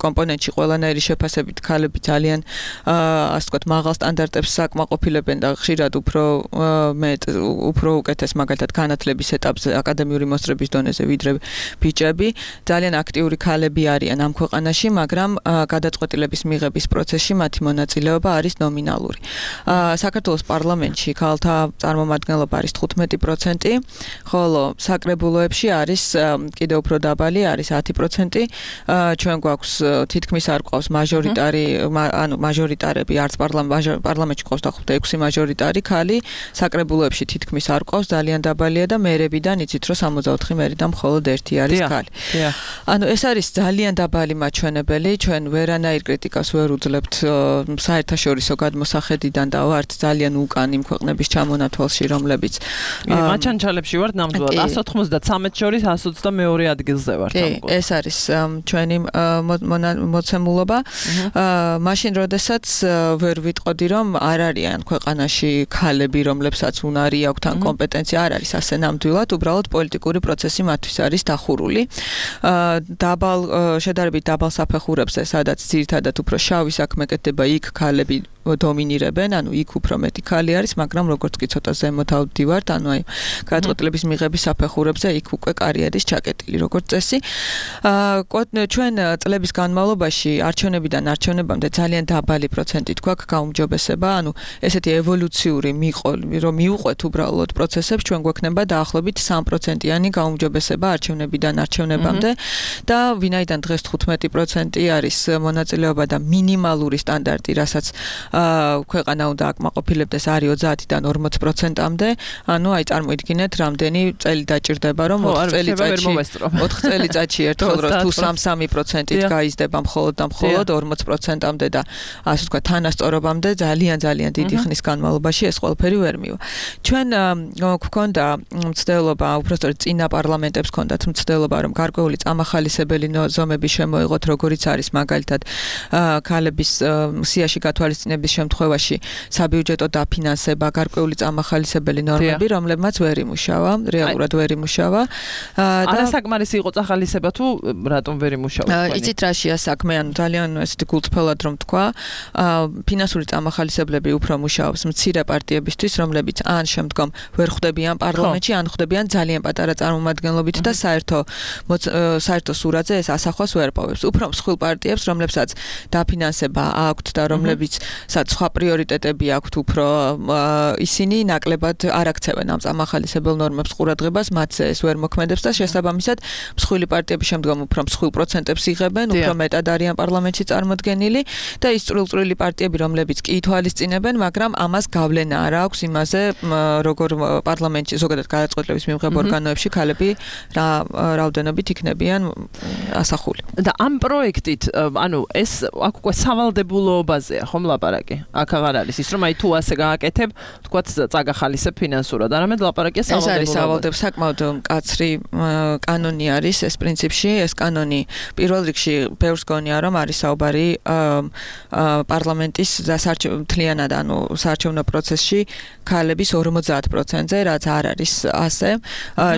Speaker 12: კომპონენტში ყველანაირი შეფასებით ქალები ძალიან ასე ვთქვათ მაღალ სტანდარტებს საკმაყოფილებენ და ხშირად უფრო უკეთეს მაგალითად განათლების ეტაპზე აკადემიური მოსწრების დონეზე ვიდრე ბიჭები. ძალიან აქტიური ქალები არიან ამ ქვეყანაში, მაგრამ გადაწყვეტილების მიღების პროცესში მათი მონაწილეობა არის ნომინალური. საქართველოს პარლამენტში ქალთა წარმომადგენლობა არის 15%, ხოლო საკრებულოებში არის კიდევ უფრო დაბალი, არის 10%. ჩვენ გვაქვს თითქმის არ გვყავს მაჟორიტარი, ანუ მაჟორიტარები არც პარლამენტში გვყავს და 6 მაჟორიტარი ქალი, საკრებულოებში თითქმის არ გვყავს, ძალიან დაბალია და მერებიდან იცით რომ 64 მერიდან მხოლოდ 1 არის ქალი. ანუ ეს არის ძალიან დაბალი მაჩვენებელი, ჩვენ ვერანაირ კრიტიკას ვერ უძლებთ საერთაშორისო გადმოსახედიდან და ვართ ძალიან უკან იმ ქვეყნების ჩამონათვალში, რომლებიც
Speaker 2: მაჩანჩალებში ვართ ნამდვილად 193 შორის 122 ადგილზე ვართ.
Speaker 12: ეს არის ჩვენი მოცემულობა. მაშინ როდესაც ვერ ვიტყოდი, რომ არ არიან ქვეყანაში ქალები, რომლებსაც უნარი აქვთ ან კომპეტენცია არ არის ასე ნამდვილად, უბრალოდ პოლიტიკური პროცესი მათთვის არის დახურული. შედარებით დაბალ საფეხურებზე, სადაც ძირითადად უფრო შავი საქმე კეთდება, იქ ქალები დომინირებენ, ანუ იქ უფრო მეტი ქალი არის, მაგრამ როგორც კი ცოტა ზემოთ ავდივართ, ანუ აი გადაწყვეტილების მიღების საფეხურებზე იქ უკვე კარიერის ჩაკეტილი როგორც წესი. ჩვენ წლების განმავლობაში არჩევნებიდან არჩევნებამდე ძალიან დაბალი პროცენტით გვაქვს გაუმჯობესება, ანუ ესეთი ევოლუციური რომ მიუყვეთ უბრალოდ პროცესებს, ჩვენ გვექნება დაახლოებით 3%-იანი გაუმჯობესება არჩევნებიდან არჩევნებამდე და ვინაიდან დღეს 15% არის მონაწილეობა და მინიმალური სტანდარტი, რასაც ქვეყანა უნდა აკმაყოფილებდეს არის 30-დან 40%-მდე, ანუ აი წარმოიდგინეთ, რამდენი წელი დაჭირდება, რომ 4 წელიწადში ერთხელ თუ 3%-ით გაიზრდება მხოლოდ და მხოლოდ 40%-მდე და ასე ვთქვათ, თანასწორობამდე ძალიან დიდი ხნის განმავლობაში ეს ყველაფერი ვერ მივა. ჩვენ გვქონდა მცდელობა, უბრალოდ წინა პარლამენტებს ჰქონდათ მცდელობა, რომ გარკვეული წამახალისებელი ზომები შემოიღოთ, როგორიც არის მაგალითად ქალების სიაში გათვალისწინების შემთხვევაში საბიუჯეტო დაფინანსება, გარკვეული წამახალისებელი ნორმები, რომლებმაც ვერ იმუშავა, რეალურად ვერ იმუშავა.
Speaker 11: არასაკმარისი იყო წახალისება თუ რატომ ვერ იმუშავა?
Speaker 12: იცით რაშია საქმე, ანუ ძალიან ესეთი გულწრფელად რომ თქვა, ფინანსური წამახალისებლები უფრო მუშაობს მცირე პარტიებისთვის, რომლებიც ან შემდგომ ვერ ხვდებიან პარლამენტში, ან ხვდებიან ძალიან პატარა წარმომადგენლობით და საერთო სურათზე ეს ასახვას ვერ პოვებს. უფრო მსხვილ პარტიებს, რომლებსაც დაფინანსება აქვთ და რომლებიცაც სხვა პრიორიტეტები აქვთ, უფრო ისინი ნაკლებად არ აქცევენ ამ წამახალისებელ ნორმებს ყურადღებას, მათზე ეს ვერ მოქმედებს და შესაბამისად მსხვილი პარტიები შემდგომ უფრო მსხვილ პროცენტებს იღებენ, უფრო მეტად არიან პარლამენტში წარმოდგენილი და ის წვრილ-წვრილი პარტიები, რომლებიც კი ითვალისწინებენ, მაგრამ ამას გავლენა არ აქვს იმაზე, როგორ პარლამენტში ზოგადად გადაწყვეტილების მიღებ ორგანოებში ქალები რა რაოდენობით იქნებიან ასახული.
Speaker 11: და ამ პროექტით, ანუ ეს აქ უკვე სავალდებულობაზეა, ხომ ლაპარაკი? აქ აღარ არის ის, რომ აი თუ ასე გააკეთებ, თქვათ წაგახალისებ ფინანსურად, არამედ ლაპარაკია სავალდებულობაზე.
Speaker 12: ეს არის სავალდებულო, საკმაოდ მკაცრი კანონი არის ეს პრინციპში, ეს კანონი პირველ რიგში ბევრს გონია, რომ არის საუბარი პარლამენტის მთლიანად, ანუ საარჩევნო პროცესში ქალების 50%-ზე, რაც არ არის ასე.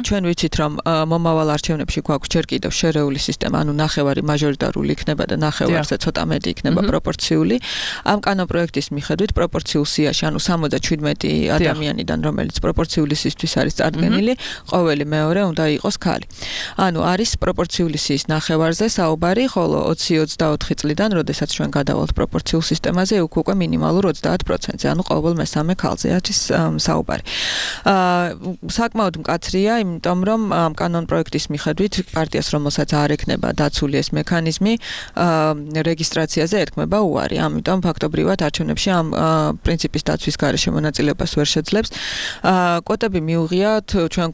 Speaker 12: ჩვენ ვიცით, რომ მომავალ არჩევნებში გვაქვს ჯერ კიდევ შერეული სისტემა, ანუ ნახევარი მაჟორიტარული იქნება და ნახევარზე ცოტა მეტი იქნება პროპორციული. ამ კანონპროექტის მიხედვით პროპორციულ სიაში, ანუ 77 ადამიანიდან, რომელიც პროპორციული სისთვის არის წარდგენილი, ყოველი მეორე უნდა იყოს ქალი. ანუ არის პროპორციული სიის ნახევარზე საუბარი, ხოლო 20-24 წლიდან, როდესაც ჩვენ გადავალთ პროპორციულ სისტემაზე, უკვე მინიმალურ 30%-ზე, ანუ ყოველ მესამე ქალზე არის საუბარი. საკმაოდ მკაცრია, იმიტომ რომ ამ კანონპროექტის მიხედვით პარტიას, რომელსაც არ ექნება დაცული ეს მექანიზმი, რეგისტრაციაზე ეთქმება უარი. ამიტომ ფაქტობრივად არჩევნებში ამ პრინციპის დაცვის გარეშე მონაწილეობას ვერ შეძლებს. კვოტები მიუღიათ ჩვენ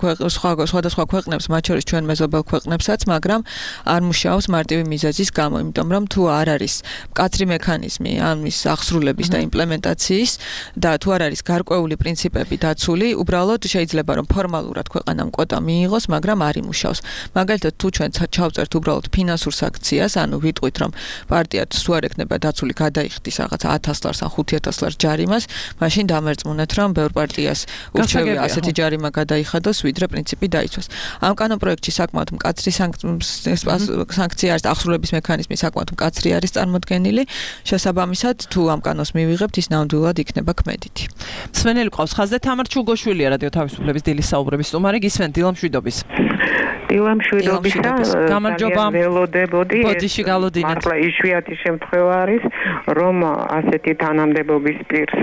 Speaker 12: სხვადასხვა ქვეყნებს, მათ შორის ჩვენ მეზობელ ქვეყნებსაც, მაგრამ არ მუშაობს მარტივი მიზეზის გამო, იმიტომ რომ თუ არ არის მკაცრი მექანიზმი ამის აღსრულების და იმპლემენტაციის და თუ არ არის გარკვეული პრინციპები დაცული, უბრალოდ შეიძლება რომ ფორმალურად ქვეყანამ კვოტა მიიღოს, მაგრამ არ იმუშაოს. მაგალითად, თუ ჩვენ ჩავწერთ უბრალოდ ფინანსურ საქციას, ანუ ვიტყვით რომ პარტიაც თუ არ ექნება დაცული გადაიხდის რაღაც 1000 ლარს ან 5000 ლარს ჯარიმას, მაშინ დამერწმუნეთ რომ ბევრ პარტიას ურჩევია ასეთი ჯარიმა გადაიხადოს, ვიდრე პრინციპი დაიცვას. ამ კანონპროექტში საკმაოდ მკაცრი სანქცია არის, აღსრულების მექანიზმი საკმაოდ მკაცრი არის წარმოდგენილი. შესაბამისად, თუ ამ კანონს მივიღებთ, ის ნამდვილად იქნება ქმედითი.
Speaker 11: სვენელი ყავს ხაზზე, თამარ ჩუგოშვილია რადიო თავისუფლების დილის საუბრების სტუმარი, გისმენთ დილა მშვიდობის.
Speaker 13: დილა მშვიდობისა,
Speaker 11: გამარჯობა.
Speaker 13: ველოდებოდი.
Speaker 11: ბოდიში გალოდინეთ.
Speaker 13: მართლა იშვიათი შემთხვევა არის, რომ ასეთი თანამდებობის პირს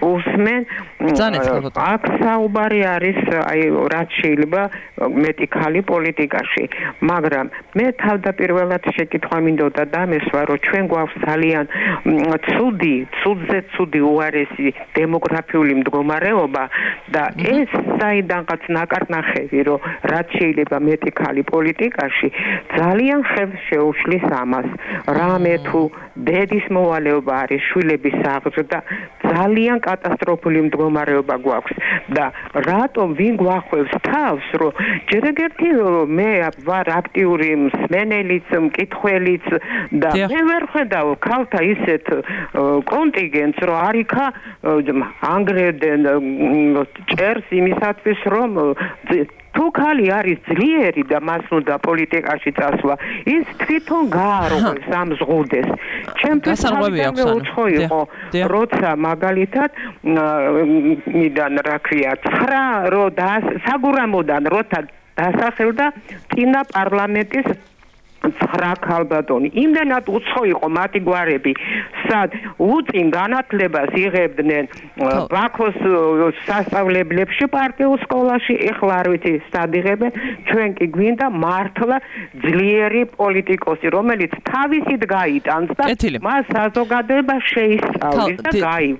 Speaker 13: უსმენ. აქ საუბარი არის, აი, რაც შეიძლება მეტი ქალი პოლიტიკაში, მაგრამ მე თავდაპირველად შეკითხვა მინდოდა დამესვა, რომ ჩვენ გვაქვს ძალიან ცუდზე ცუდი უარესი დემოგრაფიული მდგომარეობა და ეს საიდანღაც ნაკარნახევი, რომ რაც შეიძლება მეტი ქალი პოლიტიკაში ძალიან ხელს შეუშლის ამას. რამე თუ დედის მოვალეობა არის შვილების აღზრდა, ძალიან კატასტროფული მდგომარეობა გვაქვს და რატომ ვინ გვახვევს თავს, რომ ჯერ ერთი მე ვარ აქტიური მსმენელიც, მკითხველიც და მე ვერ ხედავ ქალთა ისეთ კონტინგენტს, რომ არიქა ანგრევდნენ ჭერს იმისათვის, რომ თუ ხალი არის ძლიერი და მას უნდა პოლიტიკაში წასვლა, ის თვითონ გაარღვევს ამ ზღუდეს. ჩემთვის თავიდანვე უცხო იყო, როცა მაგალითად მიდან რა ქვია, 9 რო საგურამოდან როცა დასახელდა წინა პარლამენტის 9 ქალბატონი. იმდენად უცხო იყო მათი გვარები, სად უწინ განათლებას იღებდნენ ბაქოს სასწავლებლებში, პარტიულ სკოლაში, ეხლა არ ვიცი სად იღებენ, ჩვენ კი გვინდა მართლა ძლიერი პოლიტიკოსი, რომელიც თავისით გაიტანს და მას საზოგადოება შეისწავლის და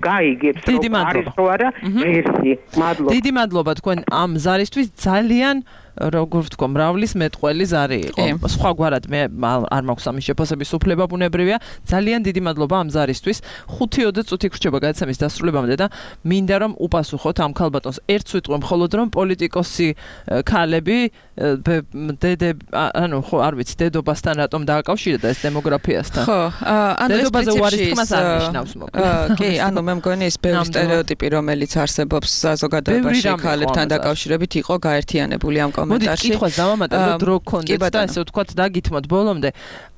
Speaker 13: გაიგებს, რომ არის თუ არა ღირსი. მადლობა.
Speaker 2: დიდი მადლობა თქვენ ამ ზარისთვის, ძალიან როგორ ვთქვა, მრავლის მეტყველი ზარი იყო. სხვაგვარად მე არ მაქვს ამის შეფასების უფლება, ბუნებრივია. ძალიან დიდი მადლობა ამ ზარისთვის. 5-20 წუთი გრჩება გადაცემის დასრულებამდე და მინდა რომ უპასუხოთ ამ ქალბატონს. ერთს ვიტყვი მხოლოდ რომ პოლიტიკოსი ქალები ხო არ ვიცი, დედობასთან რატომ დააკავშირდა ეს დემოგრაფიასთან.
Speaker 12: ხო,
Speaker 2: დედობაზე უარისთქმას არ ნიშნავს მოკლედ.
Speaker 12: კი, მე მგონი ეს ბევრი სტერეოტიპი, რომელიც არსებობს საზოგადოებაში ქალებთან დაკავშირებით იყო გაერთიანებული ამ
Speaker 2: მოდით კითხვას დავამატებთ, დრო გქონდეთ და ესე ვთქვათ დაგითმოთ ბოლომდე.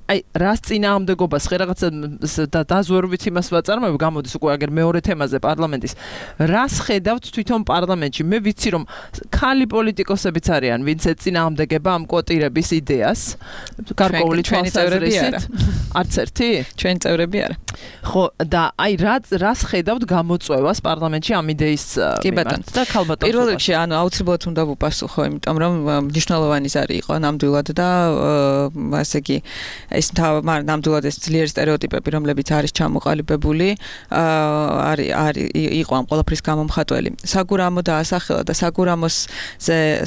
Speaker 2: აი, რას წინააღმდეგობას ხე რაღაცა დაზვერვით იმას ვაწარმოებ, გამოდის უკვე აგერ მეორე თემაზე პარლამენტის. რას ხედავთ თვითონ პარლამენტში? მე ვიცი რომ ხალი პოლიტიკოსებიც არიან, ვინც ეწინააღმდეგება ამ კვოტირების იდეას. გარკვეული თვალსაზრისით. არც ერთი?
Speaker 12: ჩვენი წევრები არა.
Speaker 2: ხო, და აი რას ხედავთ გამოწვევას პარლამენტში ამ იდეის მიმართ და ქალბატონს?
Speaker 12: პირველ რიგში, აუცილებლად უნდა ვუპასუხო, იმიტომ რომ მნიშვნელოვანი ზარი იყო ნამდვილად და ასე იგი ეს ნამდვილად ეს ძლიერი სტერეოტიპები, რომლებიც არის ჩამოყალიბებული, იყო ამ ყველაფრის გამომხატველი. საგურამო დაასახელა და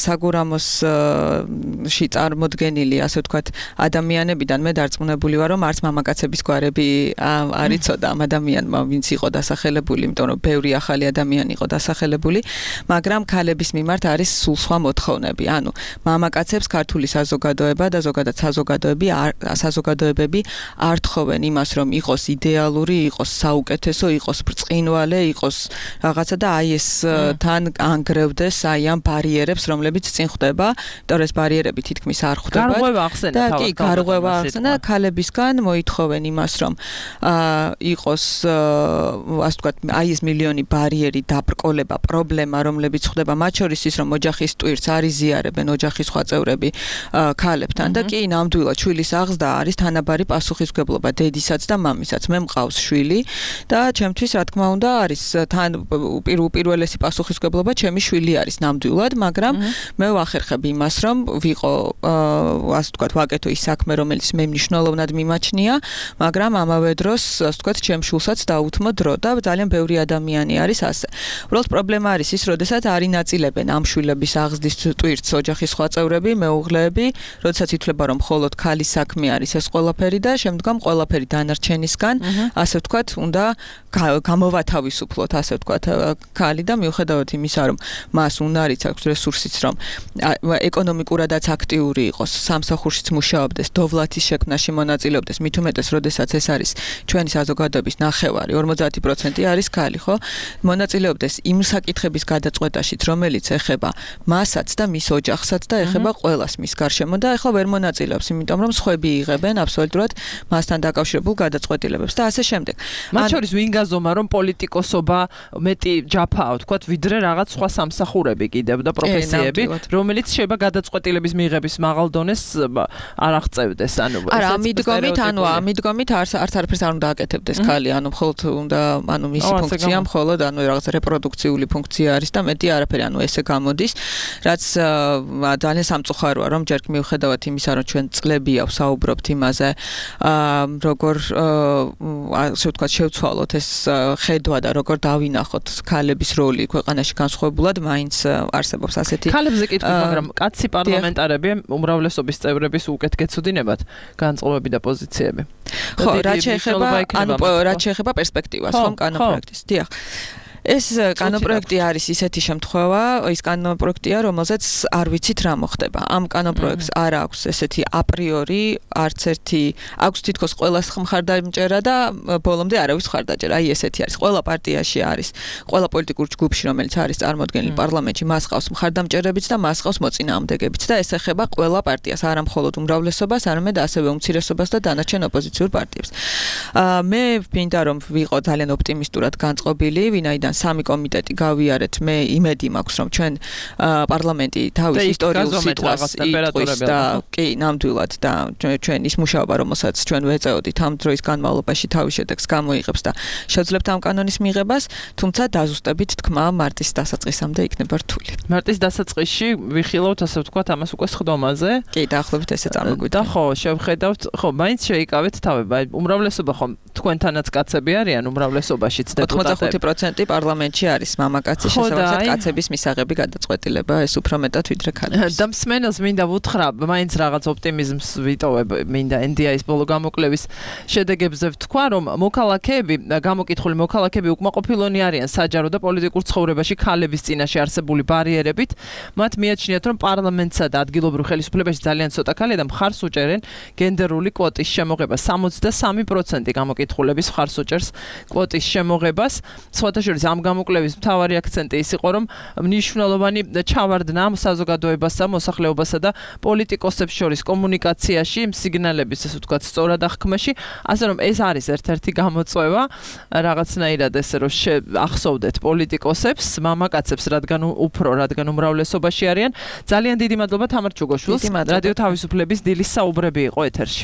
Speaker 12: საგურამოსში წარმოდგენილი, ასე ვთქვათ, ადამიანებიდან მე დარწმუნებული ვარ, რომ არც მამაკაცების გვარები არ იცოდა ამ ადამიანმა, ვინც იყო დასახელებული, იმიტომ რომ ბევრი ახალი ადამიანი იყო დასახელებული, მაგრამ ქალების მიმართ არის სულ სხვა მოთხოვნები. ანუ მამაკაცებს ქართული საზოგადოება და ზოგადად საზოგადოებები არ თხოვენ იმას, რომ იყოს იდეალური, იყოს საუკეთესო, იყოს ბრწყინვალე, იყოს რაღაცა და აი ეს თან ანგრევდეს აი ამ ბარიერებს, რომლებიც წინ ხვდება, იმიტომ ეს ბარიერები თითქმის არ ხვდება.
Speaker 2: გარღვევა ახსენა
Speaker 12: და კი, გარღვევა ახსენა ქალებისგან მოითხოვენ იმას, რომ იყოს ასე ვთქვათ, აი ეს მილიონი ბარიერი, დაბრკოლება, პრობლემა, რომლებიც ხვდება, მათ შორის ის, რომ ოჯახის ტვირთს არ იზიარებენ ოჯახის სხვა წევრები ქალებთან და კი, ნამდვილად შვილის აღზრდა არის თანაბარი პასუხისმგებლობა დედისაც და მამისაც. მე მყავს შვილი და ჩემთვის რა თქმა უნდა არის თან პირველესი პასუხისმგებლობა ჩემი შვილი არის ნამდვილად, მაგრამ მე ვახერხებ იმას, რომ ვიყო ასე ვთქვათ, ვაკეთო ის საქმე, რომელიც მე მნიშვნელოვნად მიმაჩნია, მაგრამ ამავე დროს ასე ვთქვათ, ჩემ შვილსაც დაუთმო დრო და ძალიან ბევრი ადამიანი არის ასე. უბრალოდ პრობლემა არის ის, როდესაც არ ინაწილებენ ამ შვილების აღზრდის ტვირთს ოჯახის სხვა წევრები, მეუღლეები, როდესაც ითვლება რომ მხოლოდ ქალის საქმე არის ეს ყველაფერი და შემდგომ ყველაფერი დანარჩენისგან, ასე ვთქვათ, უნდა გამოვათავისუფლოთ, ასე ვთქვათ, ქალი და მიუხედავად იმისა, რომ მას უნარიც აქვს რესურსიც, რომ ეკონომიკურადაც აქტიური იყოს, სამსახურშიც მუშაობდეს, დოვლათის შექმნაში მონაწილეობდეს, მით უმეტეს, როდესაც ეს არის ჩვენი საზოგადოების ნახევარი, 50% არის ქალი, ხო? მონაწილეობდეს იმ საკითხების გადაწყვეტაშიც, რომელიც ეხება მასაც და მის ოჯახსაც და ეხება ყველას მის გარშემო და ეხლა ვერ მონაწილეობს, იმიტომ რომ სხვები იღებენ აბსოლუტურად მასთან დაკავშირებულ გადაწყვეტილებებს და ასე შემდეგ.
Speaker 2: მათ შორის ვინ გაზომა რომ პოლიტიკოსობა მეტი ჯაფაა, ვთქვათ, ვიდრე რაღაც სხვა სამსახურები კიდევ და პროფესიები, რომელიც შეიძლება გადაწყვეტილების მიღების მაღალ დონეს არ აღწევდეს, ანუ
Speaker 12: არა, ამიდგომით არც არაფერს არ უნდა აკეთებდეს ქალი, ანუ მხოლოდ უნდა, ანუ მისი ფუნქცია მხოლოდ, ანუ რაღაც რეპროდუქციული ფუნქცია არის და მეტი არაფერი, ანუ ესე გამოდის, რაც ძალიან სამწუხაროა, რომ ჯერ მიუხედავად იმისა, რომ ჩვენ წლებია ვსაუბრობთ იმაზე, როგორ ასე ვთქვათ, შევცვალოთ ეს ხედვა და როგორ დავინახოთ ქალების როლი ქვეყანაში განსხვავებულად, მაინც არსებობს ასეთი.
Speaker 2: ქალებზე კითხვა, მაგრამ კაცი პარლამენტარები უმრავლესობის წევრების უკეთ გეცოდინებათ განწყობები და პოზიციები.
Speaker 12: ხო, რაც შეეხება პერსპექტივას, ხომ, კანონპროექტის. დიახ. ეს კანონპროექტი არის ისეთი შემთხვევა, ის კანონპროექტია, რომელზეც არ ვიცით რა მოხდება. ამ კანონპროექტს არ აქვს ესეთი აპრიორი არც ერთი აქვს თითქოს ყველას მხარდამჭერა და ბოლომდე არავის მხარდაჭერა. აი ესეთი არის. ყველა პარტიაში არის, ყველა პოლიტიკურ ჯგუფში, რომელიც არის წარმოდგენილი პარლამენტში, მას ყავს მხარდამჭერებიც და მას ყავს მოწინააღმდეგებიც და ეს ეხება ყველა პარტიას, არა მხოლოდ უმრავლესობას, არამედ ასევე უმცირესობას და დანარჩენ ოპოზიციურ პარტიებს. მე ვფინდა რომ ვიყო ძალიან ოპტიმისტურად განწყობილი, ვინაიდან სამი კომიტეტი გავიარეთ, მე იმედი მაქვს რომ ჩვენ პარლამენტი თავის ისტორიულ სიტყვას იტყვის და კი, ნამდვილად და ჩვენ ის მუშაობა, რომელსაც ჩვენ ვეწეოდით ამ დროის განმავლობაში თავის შედეგს გამოიღებს და შევძლებთ ამ კანონის მიღებას, თუმცა დაზუსტებით თქმა მარტის დასაწყისამდე იქნება რთული.
Speaker 11: მარტის დასაწყისში ვიხილავთ ასე ვთქვათ ამას უკვე სხდომაზე?
Speaker 12: კი, დაახლოებით ესე წარმოგვიდგენთ.
Speaker 11: და ხო, შევხედავთ, ხო, მაინც შეიკავეთ თავება. უმრავლესობა ხო თქვენთანაც კაცები არიან უმრავლესობაშიც დეპუტატები.
Speaker 12: 85% პარლამენტში არის მამაკაცი, შესაბამისად კაცების მისაღები გადაწყვეტილება ეს უფრო მეტად ვიდრე ქალების.
Speaker 11: და მსმენელს მინდა ვუთხრა, მაინც რაღაც ოპტიმიზმს ვიტოვებ, მინდა NDI-ის ბოლო გამოკვლევის შედეგებზე ვთქვა, რომ მოქალაქეები, გამოკითხული მოქალაქეები უკმაყოფილონი არიან საჯარო და პოლიტიკურ ცხოვრებაში ქალების წინაშე არსებული ბარიერებით. მათ მიაჩნიათ, რომ პარლამენტსა და ადგილობრივ ხელისუფლებაში ძალიან ცოტა ქალია და მხარს უჭერენ გენდერული კვოტის შემოღებას. 63% გამოკითხულების მხარს უჭერს კვოტის შემოღებას. სხვათა შორის ამ გამოკვლევის მთავარი აქცენტი ის იყო, რომ მნიშვნელოვანი ჩავარდნა საზოგადოებასა, მოსახლეობასა და პოლიტიკოსებს შორის კომუნიკაციაში, სიგნალების, ასე ვთქვათ, სწორად აღქმაში, ასე რომ ეს არის ერთ-ერთი გამოწვევა, რაღაცნაირად ესე რომ ახსოვდეთ პოლიტიკოსებს, მამაკაცებს, რადგან უმრავლესობაში არიან. ძალიან დიდი მადლობა თამარ ჩუგოშვილს. რადიო თავისუფლების დილის საუბრები იყო ეთერში.